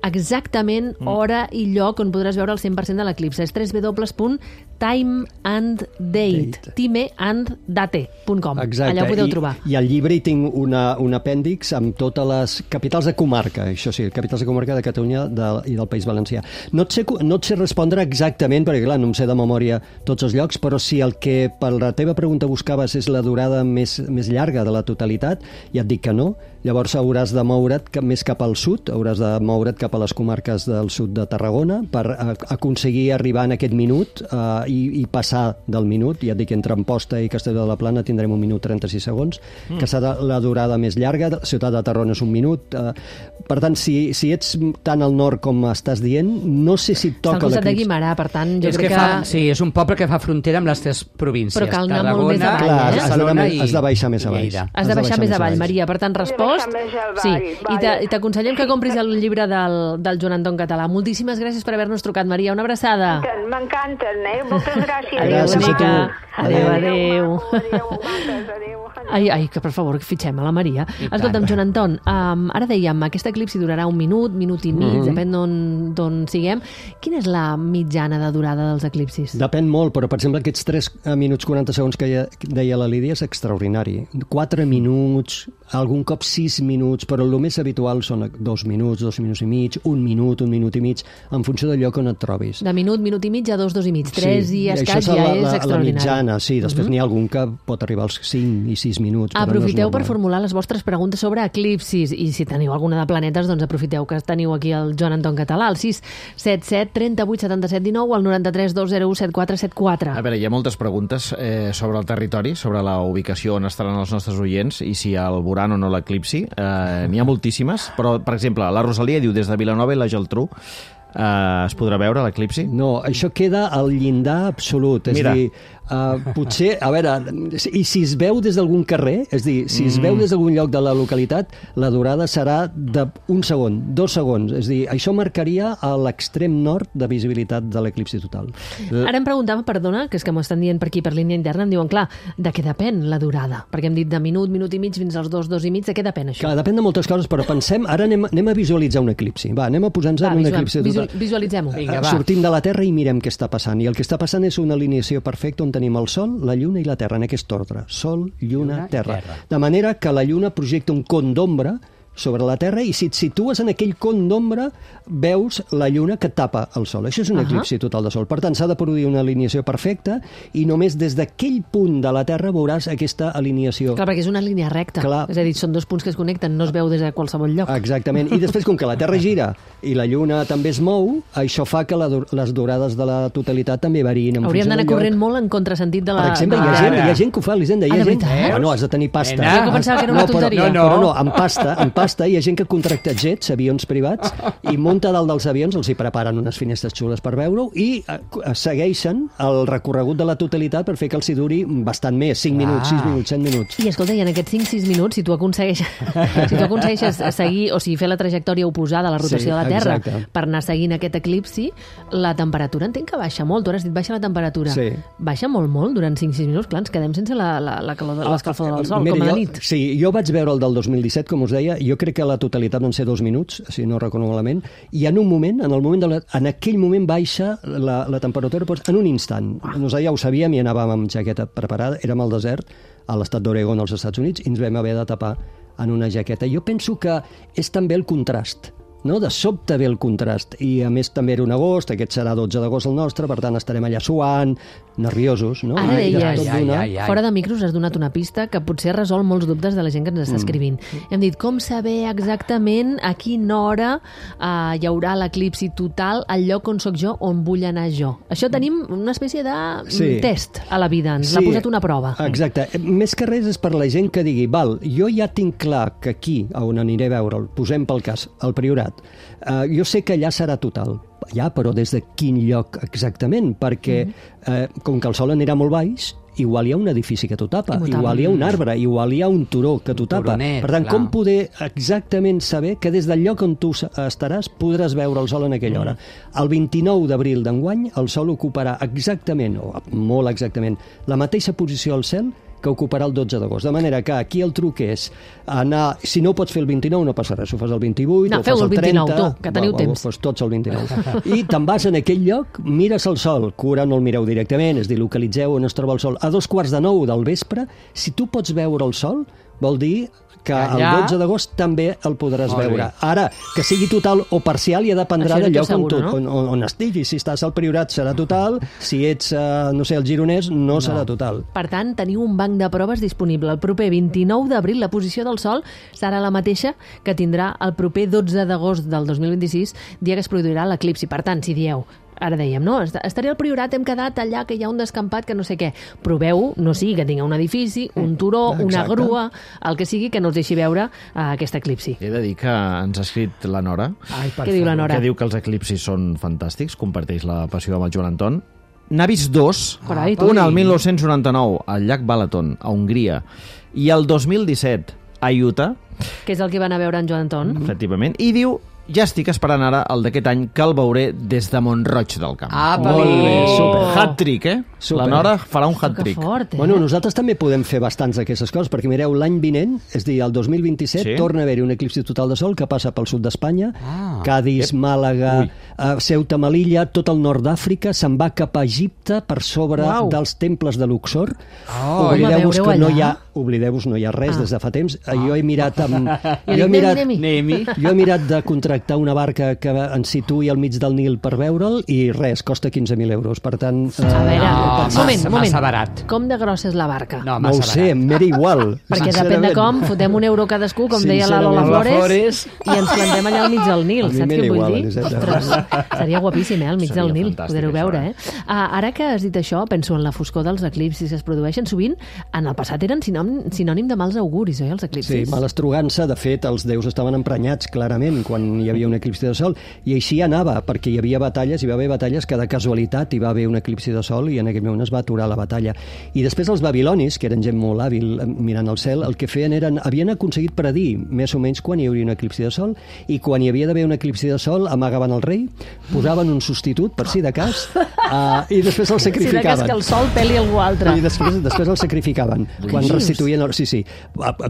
exactament hora i lloc on podràs veure el cent per cent de l'eclipse. És w w w punt time and date, Date. time and date punt com. Exacte. Allà ho podeu I, trobar. I al llibre hi tinc una, un apèndix amb totes les capitals de comarca, això sí, capitals de comarca de Catalunya de, i del País Valencià. No et, sé, no et sé respondre exactament, perquè clar, no em sé de memòria tots els llocs, però si el que per la teva pregunta buscaves és la durada més, més llarga de la totalitat, ja et dic que no. Llavors hauràs de moure't cap, més cap al sud, hauràs de moure't cap a les comarques del sud de Tarragona per a, aconseguir arribar en aquest minut eh, i, i passar del minut. Ja et dic, entre Amposta i Castelló de la Plana tindrem un minut trenta-sis segons, mm. que serà la durada més llarga. Ciutat de Tarragona és un minut. Eh, per tant, si, si ets tan al nord com estàs dient, no sé si et Està al toca costat de l'eclipsi. Guimarà, per tant, jo És crec que, que... fa, sí, és un poble que fa frontera amb les tres províncies. Però cal anar molt més Tarragona, avall, Clar, eh? has d'anar Barcelona més- i has de baixar més avall. Lleida. Has de baixar més avall, Maria. Per tant, respost... baixar més avall, Sí, vale. i t'a- i t'aconsellem que compris el llibre del, del Joan Anton Català. Moltíssimes gràcies per haver-nos trucat, Maria. Una abraçada. M'encanten, eh? Moltes gràcies. Adéu, Gràcies a bonica. tu. Adéu, adéu. Adéu, maco, adéu, maques, adéu. Ai, ai, que per favor, que fitxem a la Maria. Escolta'm, Joan Anton, um, ara dèiem, aquest eclipsi durarà un minut, minut i mig, mm-hmm. depèn d'on siguem. Quina és la mitjana de durada dels eclipsis? Depèn molt, però per exemple aquests tres minuts quaranta segons que deia la Lídia és extraordinari. quatre minuts, algun cop sis minuts, però el més habitual són dos minuts, dos minuts i mig, un minut, un minut i mig, en funció del lloc on et trobis. De minut, minut i mig a dos, dos i mig. Tres sí, i escaig ja la, és la, extraordinari. La mitjana, sí. Després uh-huh. n'hi ha algun que pot arribar als cinc i sis minuts. Aprofiteu no per formular les vostres preguntes sobre eclipsis i si teniu alguna de planetes, doncs aprofiteu que teniu aquí el Joan Anton Català, al sis set set, trenta-vuit, setanta-set, dinou, al noranta-tres, dos zero u, set quatre set quatre. A veure, hi ha moltes preguntes eh, sobre el territori, sobre la ubicació on estaran els nostres oients i si el veuran o no l'eclipsi. Eh, n'hi ha moltíssimes, però, per exemple, la Rosalia diu des de Vilanova i la Geltrú Uh, es podrà veure l'eclipsi? No, això queda al llindar absolut. És Mira. dir, uh, potser, a veure, i si es veu des d'algun carrer, és dir, si es Mm. veu des d'algun lloc de la localitat, la durada serà d'un segon, dos segons. És dir, això marcaria a l'extrem nord de visibilitat de l'eclipsi total. Ara em preguntava, perdona, que és que m'ho estan dient per aquí, per línia interna, em diuen, clar, de què depèn la durada? Perquè hem dit de minut, minut i mig fins als dos, dos i mig, de què depèn això? Clar, depèn de moltes coses, però pensem, ara anem, anem a visualitzar un eclipsi. Va, anem a posar-nos en un visual, eclipsi total. Visual, visualitzem-ho. Vinga, va. Sortim de la Terra i mirem què està passant. I el que està passant és una alineació perfecta on tenim el Sol, la Lluna i la Terra, en aquest ordre. Sol, Lluna, Lluna, Terra. Terra. De manera que la Lluna projecta un con d'ombra sobre la Terra i si et situes en aquell con d'ombra veus la Lluna que tapa el Sol. Això és un Ahà. eclipsi total de Sol. Per tant, s'ha de produir una alineació perfecta i només des d'aquell punt de la Terra veuràs aquesta alineació. Clar, perquè és una línia recta. Clar. És a dir, són dos punts que es connecten, no es veu des de qualsevol lloc. Exactament. I després, com que la Terra gira i la Lluna també es mou, això fa que la, les durades de la totalitat també variïn. En Hauríem funció d'anar del lloc. corrent molt en contrasentit de la... Per exemple, hi ha, de- gent, hi ha gent que ho fa, Elisenda, hi Ah, ha de gent... veritat? Bueno, has de tenir pasta. Nena. Jo pensava que era una no, però, tonteria. no, no. Però no, amb pasta, amb pasta hi ha gent que contracta jets, avions privats, i munta dalt dels avions, els hi preparen unes finestres xules per veure-ho, i eh, segueixen el recorregut de la totalitat per fer que els hi duri bastant més, cinc minuts, sis minuts, set minuts. I escolta, i en aquests cinc sis minuts, si tu aconsegueixes, si tu aconsegueixes seguir, o sigui, fer la trajectòria oposada a la rotació Sí, de la Terra exacte. per anar seguint aquest eclipsi, la temperatura entenc que baixa molt. Tu ara has dit baixa la temperatura. Sí. Baixa molt, molt, durant cinc sis minuts. Clar, ens quedem sense la, la, la calor, de- l'escalfor del sol, Mira, com a la jo, nit. Sí, jo vaig veure el del dos mil disset, com us deia, jo crec que la totalitat van ser dos minuts, si no recordo malament, i en un moment, en el moment de la, en aquell moment baixa la, la temperatura doncs, en un instant. Nosaltres ja ho sabíem i anàvem amb jaqueta preparada, érem al desert, a l'estat d'Oregon, als Estats Units, i ens vam haver de tapar en una jaqueta. Jo penso que és també el contrast, no? De sobte ve el contrast, i a més també era un agost, aquest serà dotze d'agost el nostre, per tant estarem allà suant, nerviosos, no? Ara I de deies, tot d'una- ai, ai. fora de micros has donat una pista que potser resol molts dubtes de la gent que ens Mm. està escrivint. Hem dit com saber exactament a quina hora eh, hi haurà l'eclipsi total al lloc on sóc jo, on vull anar jo. Això tenim una espècie de mm, Sí. test a la vida, ens l'ha posat una prova. Exacte. Més que res és per la gent que digui, val, jo ja tinc clar que aquí, on aniré a veure'l, posem pel cas, el Priorat, eh, jo sé que allà serà total. Ja, però des de quin lloc exactament? Perquè, eh, com que el sol anirà molt baix, igual hi ha un edifici que t'ho tapa, I m'ho tapa. igual hi ha un arbre, igual hi ha un turó que t'ho tapa. turonet, Per tant, clar. com poder exactament saber que des del lloc on tu estaràs podràs veure el sol en aquella hora? El vint-i-nou d'abril d'enguany el sol ocuparà exactament, o molt exactament, la mateixa posició al cel que ocuparà el dotze d'agost. De manera que aquí el truc és anar... Si no ho pots fer el vint-i-nou, no passa res. Ho fas el vint-i-vuit, No, o feu fas el el vint-i-nou, trenta... tu, que teniu va, temps. Va, doncs tots el vint-i-nou. I te'n vas en aquell lloc, mires el sol, que ara no el mireu directament, és dir, localitzeu on es troba el sol. A dos quarts de nou del vespre, si tu pots veure el sol, vol dir que el Allà- dotze d'agost també el podràs Molt bé. veure. Ara, que sigui total o parcial ja dependrà Això no del t'ho lloc on, tu, asseguro, no? on, on, on estiguis. Si estàs al Priorat serà total, si ets, eh, no sé, al Gironès no, no serà total. Per tant, teniu un banc de proves disponible. El proper vint-i-nou d'abril la posició del Sol serà la mateixa que tindrà el proper dotze d'agost del dos mil vint-i-sis, dia que es produirà l'eclipsi. Per tant, si dieu, ara dèiem, no? Estaré al Priorat, hem quedat allà que hi ha un descampat que no sé què. Proveu, no sigui que tinga un edifici, un turó, una Exacte. grua, el que sigui que no us deixi veure uh, aquest eclipsi. He de dir que ens ha escrit la Nora, Ai, per Què diu la favor. Nora? que diu que els eclipsis són fantàstics, comparteix la passió amb el Joan Anton. N'ha vist dos, Carai, tu. un al mil nou-cents noranta-nou al llac Balaton, a Hongria, i el dos mil disset a Utah, Que és el que va anar a veure en Joan Anton. efectivament, i diu ja estic esperant ara el d'aquest any, que el veuré des de Mont-roig del Camp. Ah, Molt bé, super. Hat-trick, eh? Super. La Nora farà un hat-trick. Que fort, eh? Bueno, nosaltres també podem fer bastants d'aquestes coses, perquè mireu, l'any vinent, és a dir, el dos mil vint-i-set, Sí. torna a haver-hi un eclipsi total de sol que passa pel sud d'Espanya, Ah. Cadis, Màlaga, uh, Ceuta, Melilla, tot el nord d'Àfrica, se'n va cap a Egipte per sobre Uau. dels temples de Luxor. Oh, Oblideu-vos Home, que no veureu hi ha, allà? oblideu-vos, no hi ha res Ah. des de fa temps. Ah. Jo he mirat amb, I jo he dic, mirat, anem-hi, Anem-hi. jo he mirat de contractar una barca que ens situï al mig del Nil per veure'l i res, costa quinze mil euros. Per tant, eh, A veure, No, un massa- moment, un moment. massa barat. Com de grossa és la barca? No, no ho massa sé, barat. m'era igual. Perquè depèn de com, fotem un euro cadascú, com deia la Lola Sincerament. Flores, Lola i ens plantem allà al mig del Nil, A mi saps m'era què vull igual, dir? Elisenda. Ostres, seria guapíssim, eh, al mig Seria del Nil, fantàstic, poder-ho això, veure, eh? eh? Ah, ara que has dit això, penso en la foscor dels eclipsis que es produeixen. Sovint, en el passat eren sinònim, sinònim de mals auguris, oi, els Sí, eclipsis? malastrugança, de fet, els déus estaven emprenyats clarament quan hi havia un eclipsi de sol, i així anava, perquè hi havia batalles, hi va haver batalles que de casualitat hi va haver un eclipsi de sol i en aquell moment es va aturar la batalla. I després els babilonis, que eren gent molt hàbil eh, mirant el cel, el que feien eren, havien aconseguit predir més o menys quan hi hauria un eclipsi de sol, i quan hi havia d'haver un eclipsi de sol amagaven el rei, posaven un substitut, per si de cas, uh, i després el Si de cas sacrificaven. que el sol peli algú altre. I després, després el sacrificaven. Quan dius? restituïen... El... Sí, sí.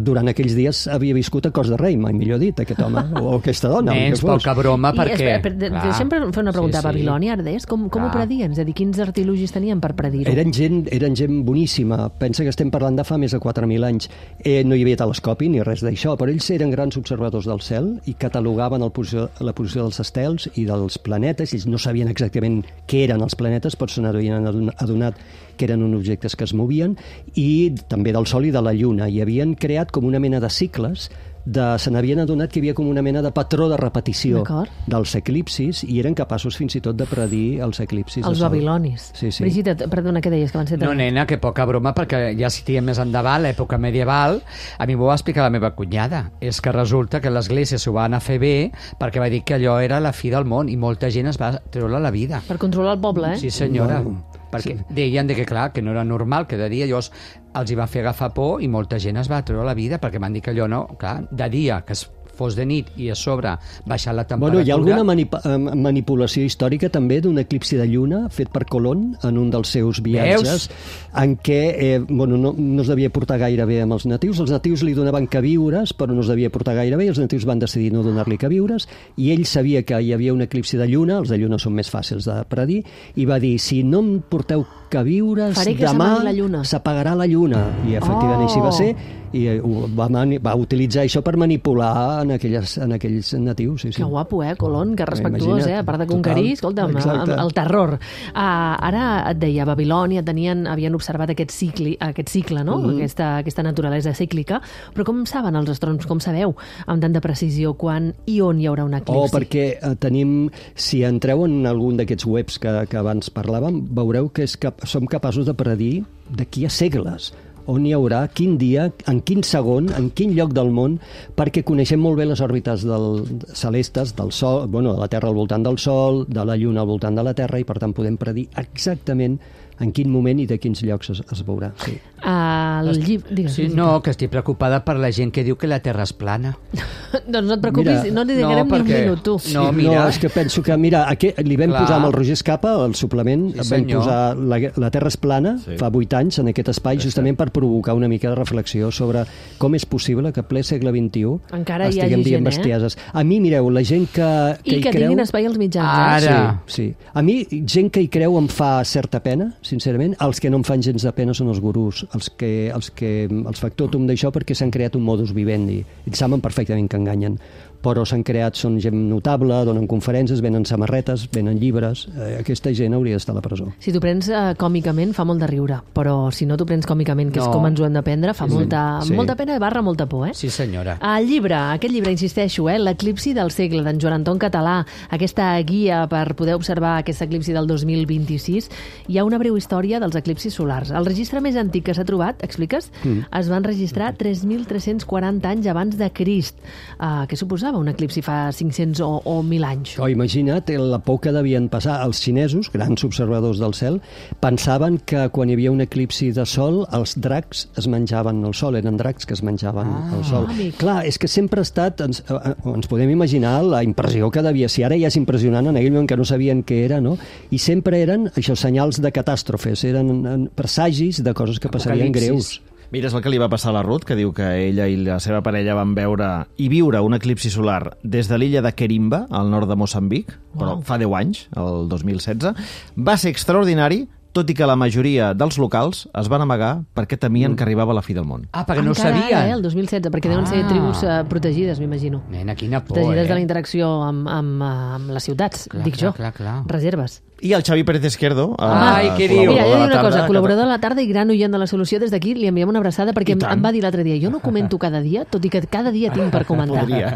Durant aquells dies havia viscut a cos de rei, mai millor dit, aquest home, o aquesta dona. el Nens, que fos. poca broma, I perquè... espera, per, de, clar, deixa'm fer una pregunta. sí, sí. Babilònia, Ardés, com, com ho Clar. predien? És a dir, quins artilugis tenien per predir-ho? Eren gent, eren gent boníssima. Pensa que estem parlant de fa més de quatre mil anys. Eh, no hi havia telescopi ni res d'això, però ells eren grans observadors del cel i catalogaven el posició, la posició dels estels i dels planetes. Ells no sabien exactament què eren els planetes, però se n'havien adonat que eren uns objectes que es movien, i també del Sol i de la Lluna. I havien creat com una mena de cicles, de, se n'havien adonat que hi havia com una mena de patró de repetició D'acord. dels eclipsis, i eren capaços fins i tot de predir els eclipsis. de Els Sol. babilonis. Sí, sí. Brigida, perdona, què deies? Que van ser No, nena, que poca broma, perquè ja si tiem més endavant, l'època medieval, a mi m'ho va explicar la meva cunyada. És que resulta que l'Església s'ho va anar a fer bé perquè va dir que allò era la fi del món i molta gent es va treure la vida. Per controlar el poble, eh? Sí, senyora. Bueno, perquè deien de que, clar, que no era normal, que de dia llavors els hi va fer agafar por i molta gent es va treure la vida perquè van dir que allò no, clar, de dia, que es fos de nit i a sobre baixar la temperatura... Bueno, hi ha alguna manip eh, manipulació històrica també d'un eclipsi de lluna fet per Colón en un dels seus viatges, Veus? en què eh, bueno, no, no es devia portar gaire bé amb els natius. Els natius li donaven queviures, però no es devia portar gaire bé, i els natius van decidir no donar-li queviures, i ell sabia que hi havia un eclipsi de lluna, els de lluna són més fàcils de predir, i va dir, si no em porteu queviures, Faré que demà s'amagui la lluna. s'apagarà la lluna. I efectivament Oh! així va ser, i eh, ho va, mani va utilitzar això per manipular en, aquelles, en aquells natius. Sí, sí. Que guapo, eh, Colón, que respectuós, Imagina't. eh, a part de conquerir, Total. escolta'm, Exacte. el, el terror. Uh, ara et deia, a Babilònia tenien, havien observat aquest, cicli, aquest cicle, no? Mhm. aquesta, aquesta naturalesa cíclica, però com saben els astrònoms, com sabeu, amb tanta precisió, quan i on hi haurà un eclipsi? Oh, perquè eh, tenim, si entreu en algun d'aquests webs que, que abans parlàvem, veureu que és cap, som capaços de predir d'aquí a segles on hi haurà, quin dia, en quin segon, en quin lloc del món, perquè coneixem molt bé les òrbites del, celestes del Sol, bueno, de la Terra al voltant del Sol, de la Lluna al voltant de la Terra, i per tant podem predir exactament en quin moment i de quins llocs es, es veurà. Sí. El llibre... Digues, Sí, no, que estic preocupada per la gent que diu que la Terra és plana. doncs no et preocupis, Mira, no li dedicarem no, ni un perquè- minut, tu. No, no, mira. és que penso que, mira, aquí, li vam Clar. posar amb el Roger Escapa, el suplement, Sí, vam senyor. posar la, la Terra és plana, Sí. fa vuit anys, en aquest espai, justament per provocar una mica de reflexió sobre com és possible que ple segle vint-i-u Encara hi estiguem hagi dient gent, eh? bestieses. A mi, mireu, la gent que, que I hi que creu... tinguin espai als mitjans, Ara. eh? Sí, sí. A mi, gent que hi creu em fa certa pena, sincerament. Els que no em fan gens de pena són els gurús, els que, els que els factotum d'això perquè s'han creat un modus vivendi. Ells saben perfectament que enganyen, però s'han creat, són gent notable, donen conferències, venen samarretes, venen llibres. Eh, aquesta gent hauria d'estar a la presó. Si t'ho prens eh, còmicament, fa molt de riure, però si no t'ho prens còmicament, que és No. com ens ho hem de prendre, fa molta, sí. molta pena i barra molta por, eh? Sí, senyora. El llibre, aquest llibre, insisteixo, eh, l'eclipsi del segle, d'en Joan Anton Català, aquesta guia per poder observar aquest eclipsi del dos mil vint-i-sis, hi ha una breu història dels eclipsis solars. El registre més antic que s'ha trobat, expliques, mm. es van registrar tres mil tres-cents quaranta anys abans de Crist. Uh, què suposa? suposava un eclipsi fa cinc-cents o, o mil anys? Oh, imagina't la por que devien passar. Els xinesos, grans observadors del cel, pensaven que quan hi havia un eclipsi de sol, els dracs es menjaven el sol, eren dracs que es menjaven ah, el sol. Amic. Clar, és que sempre ha estat... Ens, ens podem imaginar la impressió que devia ser. Ara ja és impressionant, en aquell moment que no sabien què era, no? I sempre eren, això, senyals de catàstrofes, eren presagis de coses que passarien greus. Mira, és el que li va passar a la Ruth, que diu que ella i la seva parella van veure i viure un eclipsi solar des de l'illa de Querimba, al nord de Moçambic, wow. però fa deu anys, el dos mil setze. Va ser extraordinari, tot i que la majoria dels locals es van amagar perquè temien mm. que arribava la fi del món. Ah, perquè no ho sabien. sabien. Eh, el dos mil setze, perquè deuen ser ah. tribus uh, protegides, m'imagino. Nena, quina por, protegides eh? de la interacció amb, amb, amb les ciutats, clar, dic clar, jo. Clar, clar. Reserves. I el Xavi Pérez Izquierdo... Ai, què diu? Mira, jo dic una cosa, col·laborador de la tarda i gran oient de la solució, des d'aquí li enviem una abraçada perquè em, em va dir l'altre dia, jo no comento cada dia, tot i que cada dia tinc per comentar. Podria.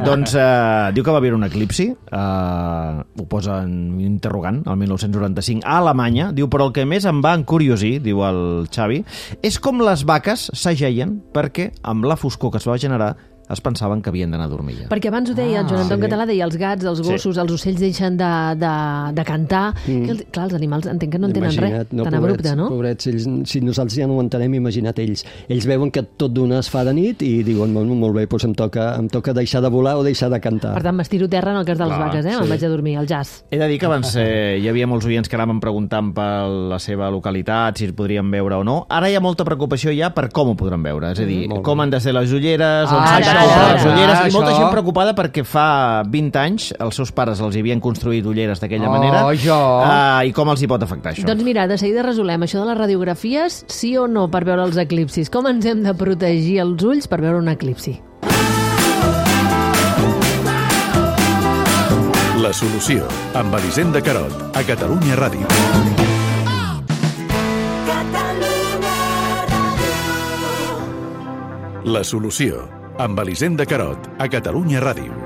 Doncs eh, diu que va haver un eclipsi, eh, ho posa en interrogant, el mil nou-cents noranta-cinc, a Alemanya, diu, però el que més em va encuriosir, diu el Xavi, és com les vaques s'ageien perquè amb la foscor que es va generar es pensaven que havien d'anar a dormir ja. Perquè abans ho deia, el Joan Anton sí. Català deia els gats, els gossos, sí. els ocells deixen de, de, de cantar. Mm. Que, clar, els animals entenc que no entenen imagina't, res, no, tan pobrets, abrupte, no? Pobrets, ells, si nosaltres ja no ho entenem, imagina't ells. Ells veuen que tot d'una es fa de nit i diuen, molt, molt bé, doncs em toca, em toca deixar de volar o deixar de cantar. Per tant, m'estiro terra en el cas de les clar, vaques, eh? Sí. Me'n vaig a dormir, al jazz. He de dir que abans eh, hi havia molts oients que anaven preguntant per la seva localitat, si es podrien veure o no. Ara hi ha molta preocupació ja per com ho podran veure. És a dir, mm, com han de ser les ulleres, on s'han de posar les ulleres, i molta gent preocupada perquè fa vint anys els seus pares els havien construït ulleres d'aquella oh, manera jo. uh, i com els hi pot afectar això? Doncs mira, de seguida resolem això de les radiografies, sí o no per veure els eclipsis. Com ens hem de protegir els ulls per veure un eclipsi? La solució, amb Elisenda Carot, a Catalunya Ràdio. La solució, amb Elisenda Carot, a Catalunya Ràdio.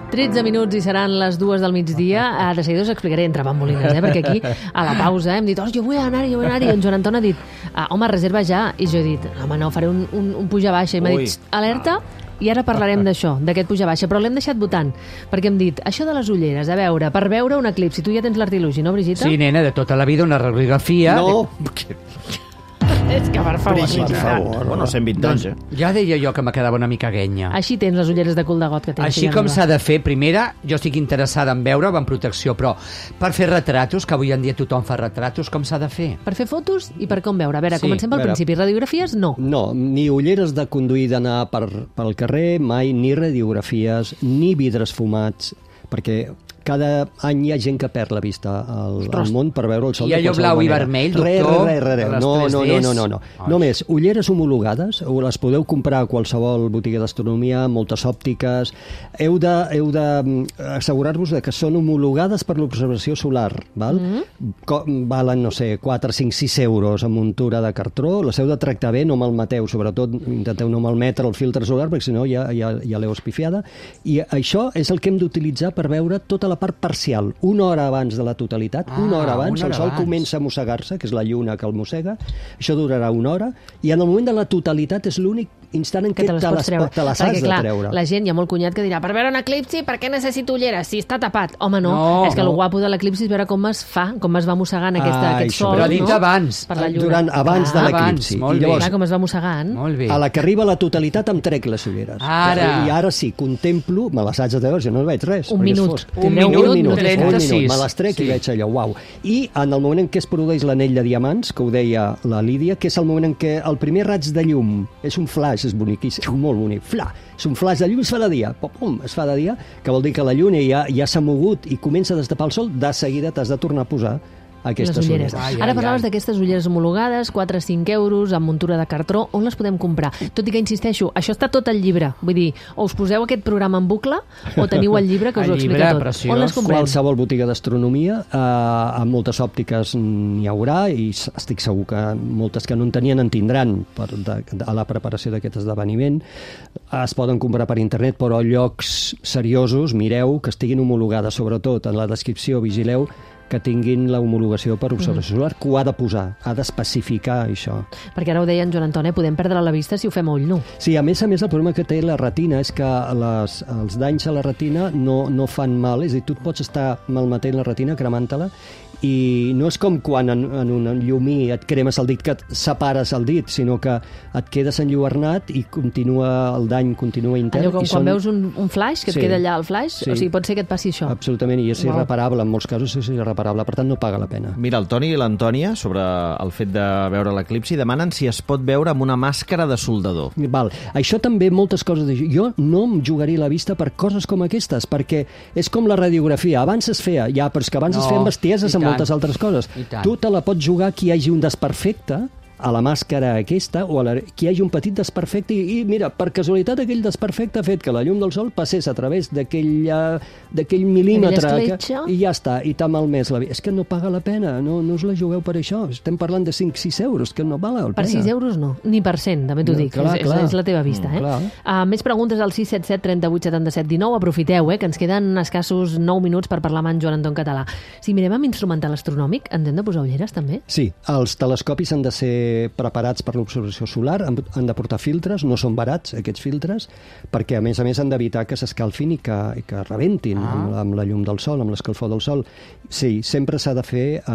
tretze minuts i seran les dues del migdia. De seguida us explicaré entre bambolines, eh? Perquè aquí, a la pausa, eh, hem dit, oh, jo vull anar-hi, jo vull anar-hi. I en Joan Anton ha dit, ah, home, reserva ja. I jo he dit, home, no, faré un, un, un puja-baixa. I m'ha dit, alerta, i ara parlarem d'això, d'aquest puja-baixa. Però l'hem deixat votant, perquè hem dit, això de les ulleres, a veure, per veure un eclipsi. Tu ja tens l'artilugi, no, Brigitte? Sí, nena, de tota la vida una radiografia... No, És que, per favor, per favor. Bueno, cent vint anys, eh? Ja deia jo que me quedava una mica guenya. Així tens les ulleres de cul de got que tens. Així com s'ha de fer, primera, jo estic interessada en veure amb protecció, però per fer retratos, que avui en dia tothom fa retratos, com s'ha de fer? Per fer fotos i per com veure. A veure, Sí, comencem pel a veure. principi. Radiografies, no. no, ni ulleres de conduir d'anar per, pel carrer, mai, ni radiografies, ni vidres fumats, perquè cada any hi ha gent que perd la vista al, al món per veure el sol I de allò qualsevol blau i manera. vermell, Re, doctor? re, re, re. Les No, no, tres no, Ds? no, no. Ai. Només ulleres homologades, o les podeu comprar a qualsevol botiga d'astronomia, moltes òptiques. Heu de, heu de mm, assegurar-vos de que són homologades per l'observació solar, val? Mm-hmm. Co valen, no sé, quatre, cinc, sis euros amb muntura de cartró. Les heu de tractar bé, no malmeteu, sobretot intenteu no malmetre el filtre solar, perquè si no ja, ja, ja l'heu espifiada. I això és el que hem d'utilitzar per veure tota la part parcial. Una hora abans de la totalitat, Ah, una hora abans, una hora el sol abans. comença a mossegar-se, que és la lluna que el mossega, això durarà una hora, i en el moment de la totalitat és l'únic instant en Que què te les te pots les, treure. te les Perquè, has clar, de treure. la gent, hi ha molt cunyat que dirà, per veure un eclipsi, per què necessito ulleres? Si està tapat. Home, no. No, és que no. el guapo de l'eclipsi és veure com es fa, com es va mossegant aquesta, Ah, aquest això. sol, Però ha dit no? abans. Per la lluna. Durant, abans de Ah, l'eclipsi. abans, molt I bé. llavors, Clar, com es va mossegant. Molt bé. a la que arriba la totalitat em trec les ulleres. Ara. I ara sí, contemplo, me les haig de treure, jo no veig res. Un perquè és minut. fosc. Un Tindreu minut, un minut, trenta-sis. Un minut, me les trec Sí. i veig allò, uau. I en el moment en què es produeix l'anell de diamants, que ho deia la Lídia, que és el moment en què el primer raig de llum, és un flash, és boniquíssim, molt bonic, fla, és un flash de llum, es fa de dia, pum, pum, es fa de dia, que vol dir que la lluna ja, ja s'ha mogut i comença a destapar el sol, de seguida t'has de tornar a posar aquestes les ulleres. ulleres. Ai, Ara ai, parlaves ai. d'aquestes ulleres homologades, quatre a cinc euros, amb muntura de cartró. On les podem comprar? Tot i que, insisteixo, això està tot al llibre. Vull dir, o us poseu aquest programa en bucle o teniu el llibre que us El ho explica llibre, tot. preciós. On les comprem? Qualsevol botiga d'astronomia, eh, amb moltes òptiques n'hi haurà, i s- estic segur que moltes que no en tenien en tindran per, de, de, a la preparació d'aquest esdeveniment. Es poden comprar per internet, però a llocs seriosos, mireu que estiguin homologades, sobretot en la descripció, vigileu que tinguin la homologació per observació solar, que ho ha de posar, ha d'especificar això. Perquè ara ho deia en Joan Antoni, podem perdre la vista si ho fem a ull nu. Sí, a més a més, el problema que té la retina és que les, els danys a la retina no, no fan mal, és a dir, tu et pots estar malmetent la retina, cremant-te-la, i no és com quan en, en un llumí et cremes el dit que et separes el dit, sinó que et quedes enlluernat i continua el dany continua intern. Allò com i quan són... veus un, un flaix, que Sí. et queda allà el flaix, Sí. o sigui, pot ser que et passi això. Absolutament, i és Wow. irreparable, en molts casos és irreparable, per tant no paga la pena. Mira, el Toni i l'Antònia, sobre el fet de veure l'eclipsi, demanen si es pot veure amb una màscara de soldador. Val. Això també, moltes coses... De... Jo no em jugaria la vista per coses com aquestes, perquè és com la radiografia. Abans es feia, ja, però és que abans No, es feien bestieses i amb tant. moltes altres coses. I tant. Tu te la pots jugar que hi hagi un desperfecte a la màscara aquesta, o a la, que hi hagi un petit desperfecte, i, i mira, per casualitat aquell desperfecte ha fet que la llum del sol passés a través d'aquell uh, d'aquell mil·límetre, Aquella que, escletxa. i ja està, i t'ha malmès la vida. És que no paga la pena, no, no us la jugueu per això. Estem parlant de cinc sis euros, que no val la Per pena. sis euros no, ni per cent, també t'ho No, dic. clar, és, clar. és, és la teva vista, Mm, eh? clar. Uh, més preguntes al sis set set, trenta vuit, setanta set, dinou. Aprofiteu, eh, que ens queden escassos nou minuts per parlar amb en Joan Anton Català. Si mirem amb instrumental astronòmic, ens hem de posar ulleres, també? Sí, els telescopis han de ser preparats per l'observació solar, han, han de portar filtres, no són barats aquests filtres, perquè a més a més han d'evitar que s'escalfin i que, i que rebentin ah. amb, amb la llum del sol, amb l'escalfor del sol. Sí, sempre s'ha de fer eh,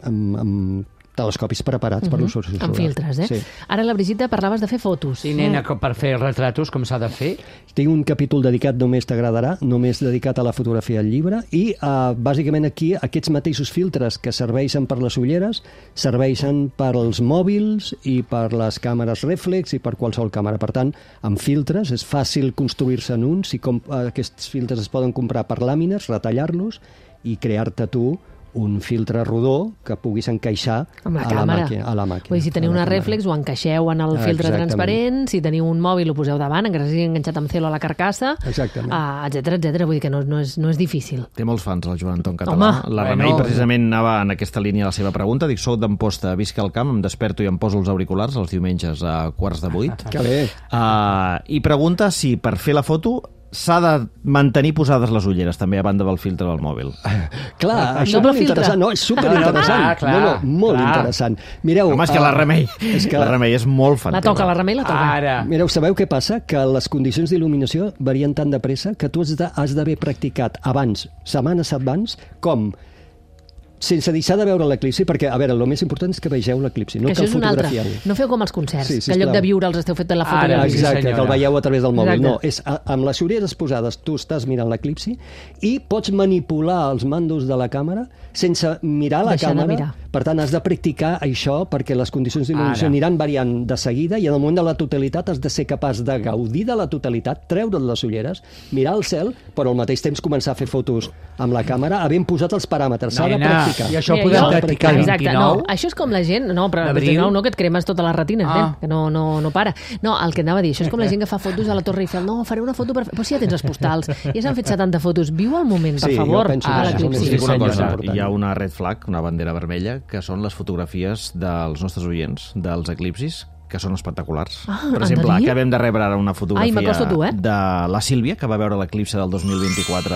amb, amb telescopis preparats per l'observació solar. Amb filtres, eh? Sí. Ara, la Brigitte, parlaves de fer fotos. Sí, nena, com per fer retratos, com s'ha de fer? Tinc un capítol dedicat, només t'agradarà, només dedicat a la fotografia al llibre, i uh, bàsicament aquí aquests mateixos filtres que serveixen per les ulleres serveixen per als mòbils i per les càmeres reflex i per qualsevol càmera. Per tant, amb filtres és fàcil construir-se en uns, i com, uh, aquests filtres es poden comprar per làmines, retallar-los i crear-te tu un filtre rodó que puguis encaixar Amb la a, la càmera. màquina, a la màquina. Vull dir, si teniu a la una càmera. reflex, ho encaixeu en el Ah, filtre exactament. transparent, si teniu un mòbil ho poseu davant, encara sigui enganxat amb celo a la carcassa, Exactament. uh, etcètera, etcètera. Vull dir que no, no, és, no és difícil. Té molts fans, el Joan Anton Català. Home. La Remei, Bueno. precisament, anava en aquesta línia la seva pregunta. Dic, soc d'Amposta, visc al camp, em desperto i em poso els auriculars els diumenges a quarts de vuit. Que bé. Uh, I pregunta si per fer la foto s'ha de mantenir posades les ulleres, també, a banda del filtre del mòbil. Clar, Ah, això és doble molt filtre. interessant. No, és superinteressant. Ah, clar, no, no, molt clar. interessant. Mireu... Home, és que uh, la Remei, és que- la Remei és molt fan. La toca, la Remei la toca. Ara. Mireu, sabeu què passa? Que les condicions d'il·luminació varien tan de pressa que tu has de- has d'haver practicat abans, setmanes abans, com sense deixar de veure l'eclipsi, perquè, a veure, el més important és que vegeu l'eclipsi, no que que això el és un altre. fotografieu. No feu com els concerts, Sí, que en lloc sisplau. de viure'ls esteu fent la foto. Ara, de sí, l'eclipsi. Exacte, que el senyora. veieu a través del mòbil. Exacte. No, és a, amb les ulleres posades tu estàs mirant l'eclipsi i pots manipular els mandos de la càmera sense mirar la Deixar de càmera. mirar. Per tant, has de practicar això perquè les condicions d'il·luminació Ara. aniran variant de seguida i en el moment de la totalitat has de ser capaç de gaudir de la totalitat, treure't les ulleres, mirar el cel, però al mateix temps començar a fer fotos amb la càmera havent posat els paràmetres. S'ha de Nena, practicar. i això ho Mira, podem jo- practicar el Exacte, vint-i-nou? no, això és com la gent, no, però el D'abril? vint-i-nou no, que et cremes totes les retines, Ah. nen, que no, no, no para. No, el que anava a dir, això és com la gent que fa fotos a la Torre Eiffel. No, faré una foto per... Però si ja tens les postals, ja s'han fet setanta fotos. Viu el moment, per Sí, jo favor, penso a que això és el l'eclipsi. més Us dic una senyora. cosa, important. hi ha una red flag, una bandera vermella, que són les fotografies dels nostres oients, dels eclipsis, que són espectaculars. Ah, per han exemple, de dir? acabem de rebre ara una fotografia Ai, m'acosto a tu, eh? de la Sílvia, que va veure l'eclipsi del dos mil vint-i-quatre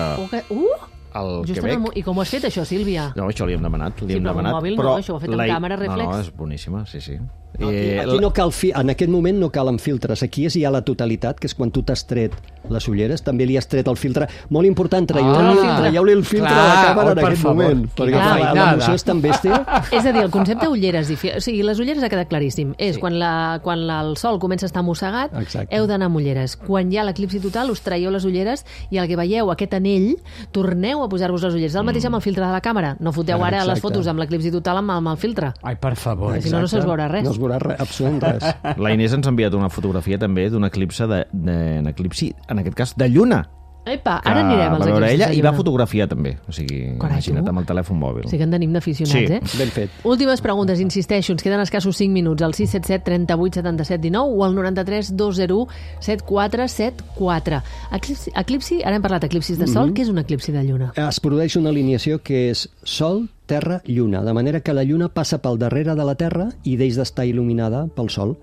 Uh, al just Quebec. amb... I com ho has fet, això, Sílvia? No, això li hem demanat. Li Sí, hem però amb demanat, mòbil no, això ho ha fet amb la- càmera reflex. No, no, és boníssima, sí, sí. Aquí, Eh, aquí no cal fi... En aquest moment no calen filtres. Aquí és ja la totalitat, que és quan tu t'has tret les ulleres, també li has tret el filtre. Molt important, traieu-li Ah, traieu el filtre clar, a la càmera oh, en per aquest favor. moment. Quina Perquè clar, feinada. l'emoció és tan bèstia. És a dir, el concepte ulleres, difi- o sigui, les ulleres ha quedat claríssim. És sí. quan, la, quan la, el sol comença a estar mossegat, Exacte. heu d'anar amb ulleres. Quan hi ha l'eclipsi total, us traieu les ulleres i el que veieu, aquest anell, torneu a posar-vos les ulleres. El mateix amb el filtre de la càmera. No foteu Ah, ara les exacte. fotos amb l'eclipsi total amb, amb el filtre. Ai, per favor. Si no, no se'ls veurà res. No es veurà res, absolutament res. La Inés ens ha enviat una fotografia també d'un eclipse, de, de, un eclipsi, en aquest cas, de lluna. Epa, Que ara anirem va als veure eclipsis ella de i va lluna. fotografiar també. O sigui, Carai, imagina't tu. amb el telèfon mòbil. Sí que en tenim d'aficionats, Sí. eh? Ben fet. Últimes preguntes, insisteixo, ens queden escassos cinc minuts, al sis set set, trenta vuit, setanta set, dinou o al noranta-tres, dos zero u, setanta quatre setanta quatre. Eclipsi, eclipsi, ara hem parlat d'eclipsis de sol, Mhm. què és un eclipsi de lluna? Es produeix una alineació que és Sol, Terra, Lluna, de manera que la Lluna passa pel darrere de la Terra i deix d'estar il·luminada pel Sol.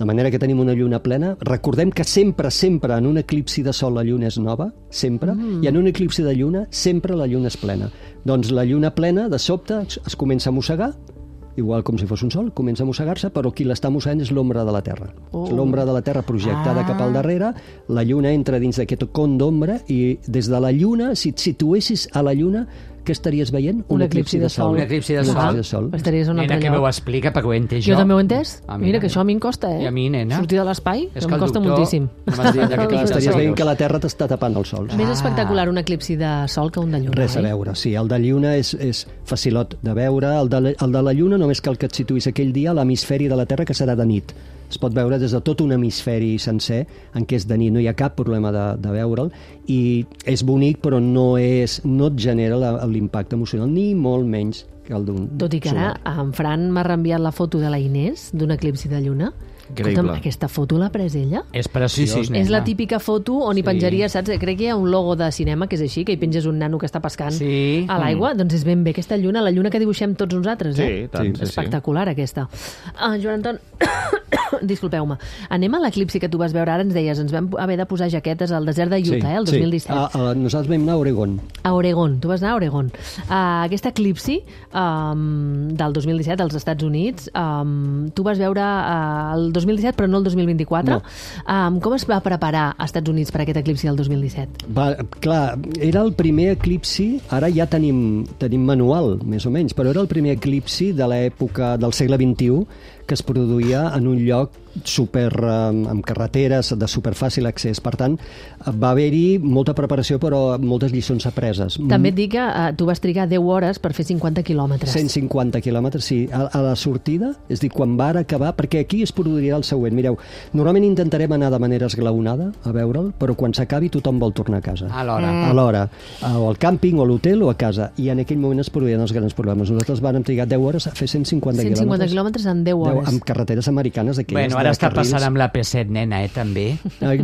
De manera que tenim una lluna plena. Recordem que sempre, sempre, en un eclipsi de sol la lluna és nova, sempre, mm. i en un eclipsi de lluna sempre la lluna és plena. Doncs la lluna plena, de sobte, es comença a mossegar, igual com si fos un sol, comença a mossegar-se, però qui l'està mossegant és l'ombra de la Terra. Oh. L'ombra de la Terra projectada ah. cap al darrere, la lluna entra dins d'aquest con d'ombra i des de la lluna, si et situessis a la lluna, què estaries veient? Un, un eclipsi, eclipsi de sol. Un eclipsi de sol. Un eclipsi de sol. Estaries un altre nena, que lloc. m'ho explica, perquè ho he entès jo. Jo també ho he entès. Ah, mira, mira, que això a mi em costa, eh? I a mi, nena. Sortir de l'espai, és em que costa doctor, moltíssim. Estaries veient que la Terra t'està tapant el sol. Més espectacular un eclipsi de sol que un de lluna. Res a veure, sí. El de lluna és, és facilot de veure. El de, la, el de la lluna només cal que et situïs aquell dia a l'hemisferi de la Terra, que serà de nit. Es pot veure des de tot un hemisferi sencer, en què és de nit, no hi ha cap problema de, de veure'l, i és bonic, però no, és, no et genera la, l'impacte emocional, ni molt menys que el d'un Tot i que ara en Fran m'ha reenviat la foto de la Inés, d'un eclipsi de lluna. Escolta'm, aquesta foto l'ha pres ella? És preciós, sí, és la típica foto on hi penjaria, sí. saps? Crec que hi ha un logo de cinema que és així, que hi penges un nano que està pescant sí. a l'aigua. Mm. Doncs és ben bé aquesta lluna, la lluna que dibuixem tots nosaltres, eh? Sí, tant, sí, espectacular, sí. aquesta. Uh, Joan Anton, disculpeu-me, anem a l'eclipsi que tu vas veure ara, ens deies, ens vam haver de posar jaquetes al desert de Utah, sí, eh, el dos mil disset. Sí, a, a, nosaltres vam anar a Oregon. A Oregon, tu vas anar a Oregon. Uh, aquest eclipsi um, del dos mil disset als Estats Units, um, tu vas veure uh, el dos mil disset, però no el dos mil vint-i-quatre. No. Um, com es va preparar als Estats Units per aquest eclipsi del dos mil disset? Va, clar, era el primer eclipsi, ara ja tenim, tenim manual, més o menys, però era el primer eclipsi de l'època del segle vint-i-u que es produïa en un lloc super, um, amb carreteres de superfàcil accés. Per tant, va haver-hi molta preparació, però moltes lliçons apreses. També et dic que uh, tu vas trigar deu hores per fer cinquanta quilòmetres. cent cinquanta quilòmetres, sí. A, a la sortida, és dir, quan va acabar, perquè aquí es produiria el següent. Mireu, normalment intentarem anar de manera esglaonada a veure'l, però quan s'acabi tothom vol tornar a casa. A l'hora. Mm. A l'hora. O al càmping, o a l'hotel, o a casa. I en aquell moment es produïen els grans problemes. Nosaltres vam trigar deu hores a fer cent cinquanta quilòmetres. cent cinquanta quilòmetres en deu hores. Amb carreteres americanes d'aquelles. Bueno, ara està passant amb la P set, nena, eh, també.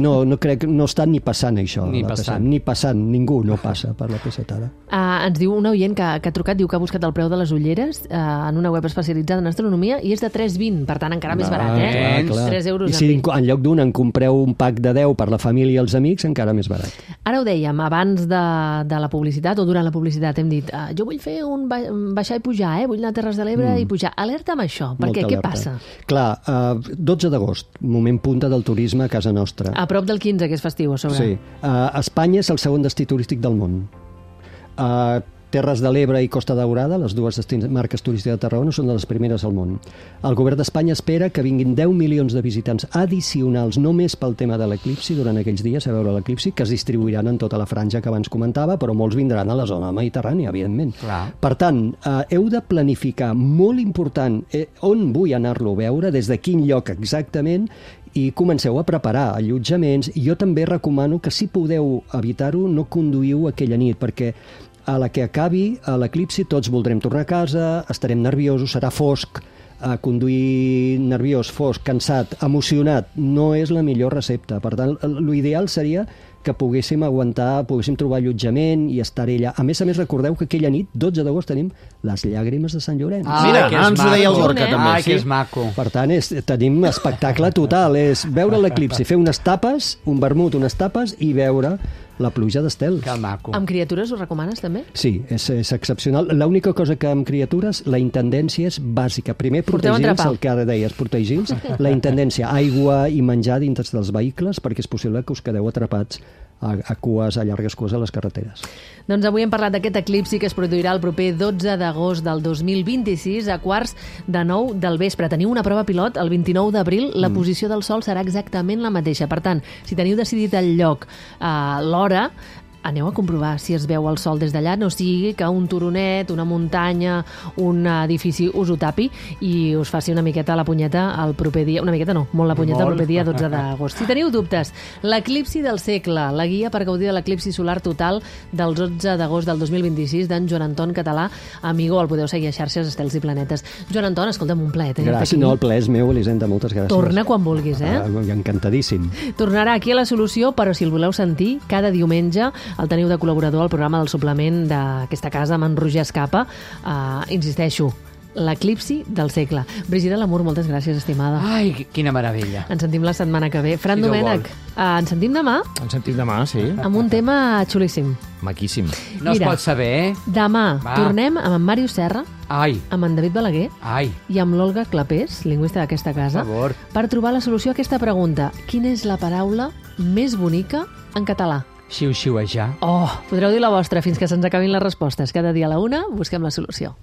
No, no crec, no està ni passant això. Ni passant. Ni passant, ningú no passa per la P set ara. Uh, ens diu un oient que, que ha trucat, diu que ha buscat el preu de les ulleres uh, en una web especialitzada en astronomia i és de tres vint, per tant encara més barat, eh? Clar, tres euros. I si en, en lloc d'un en compreu un pack de deu per la família i els amics, encara més barat. Ara ho dèiem, abans de, de la publicitat o durant la publicitat hem dit, uh, jo vull fer un ba baixar i pujar, eh? Vull anar a Terres de l'Ebre mm. i pujar. Alerta amb això, perquè què passa? Clar, uh, dotze d'agost, moment punta del turisme a casa nostra. A prop del quinze, que és festiu, a sobre. Sí. Uh, Espanya és el segon destí turístic del món. Uh, Terres de l'Ebre i Costa Daurada, les dues marques turístiques de Tarragona, són de les primeres al món. El govern d'Espanya espera que vinguin deu milions de visitants addicionals, només pel tema de l'eclipsi, durant aquells dies, a veure l'eclipsi, que es distribuiran en tota la franja que abans comentava, però molts vindran a la zona mediterrània, evidentment. Clar. Per tant, eh, heu de planificar, molt important, eh, on vull anar-lo a veure, des de quin lloc exactament, i comenceu a preparar allotjaments. Jo també recomano que, si podeu evitar-ho, no conduïu aquella nit, perquè a la que acabi l'eclipsi tots voldrem tornar a casa, estarem nerviosos, serà fosc, a conduir nerviós, fosc, cansat, emocionat, no és la millor recepta. Per tant, l'ideal seria que poguéssim aguantar, poguéssim trobar allotjament i estar allà. A més a més, recordeu que aquella nit, dotze d'agost, tenim les llàgrimes de Sant Llorenç. Ah, mira, ens ho deia el Gorka, també. Ai, que és maco. Per tant, és, tenim espectacle total. És veure l'eclipsi, fer unes tapes, un vermut, unes tapes, i veure la pluja d'estels. Que maco. Amb criatures ho recomanes, també? Sí, és, és excepcional. L'única cosa que amb criatures, la intendència és bàsica. Primer, protegir-los, el que ara deies, protegir-los. La intendència, aigua i menjar dintre dels vehicles, perquè és possible que us quedeu atrapats a, a cues, a llargues cues a les carreteres. Doncs avui hem parlat d'aquest eclipsi que es produirà el proper dotze d'agost del dos mil vint-i-sis a quarts de nou del vespre. Teniu una prova pilot el vint-i-nou d'abril, la mm. posició del Sol serà exactament la mateixa. Per tant, si teniu decidit el lloc, eh, l'hora, aneu a comprovar si es veu el sol des d'allà, no sigui que un turonet, una muntanya, un edifici us ho tapi i us faci una miqueta la punyeta el proper dia, una miqueta no, molt la punyeta molt. El proper dia dotze d'agost. Si teniu dubtes, l'eclipsi del segle, la guia per gaudir de l'eclipsi solar total del dotze d'agost del dos mil vint-i-sis d'en Joan Anton Català, amigo, el podeu seguir a xarxes Estels i Planetes. Joan Anton, escolta'm, un plaer. Gràcies, no, el plaer és meu, Elisenda, moltes gràcies. Torna quan vulguis, eh? Ah, encantadíssim. Tornarà aquí a La Solució, però si el voleu sentir, cada diumenge el teniu de col·laborador al programa del suplement d'aquesta casa amb en Roger Escapa. Uh, insisteixo, l'eclipsi del segle. Brigida Lamour, moltes gràcies, estimada. Ai, quina meravella. Ens sentim la setmana que ve. Fran Si Déu Domènech, uh, ens sentim demà Ens sentim demà, sí. amb un tema xulíssim. Maquíssim. No Mira, es pot saber, eh? Demà Va. tornem amb en Màrius Serra, Ai, amb en David Balaguer ai, i amb l'Olga Clapés, lingüista d'aquesta casa, per favor. per trobar la solució a aquesta pregunta. Quina és la paraula més bonica en català? Xiu-xiuejar. Oh, podreu dir la vostra fins que se'ns acabin les respostes. Cada dia a la una busquem la solució.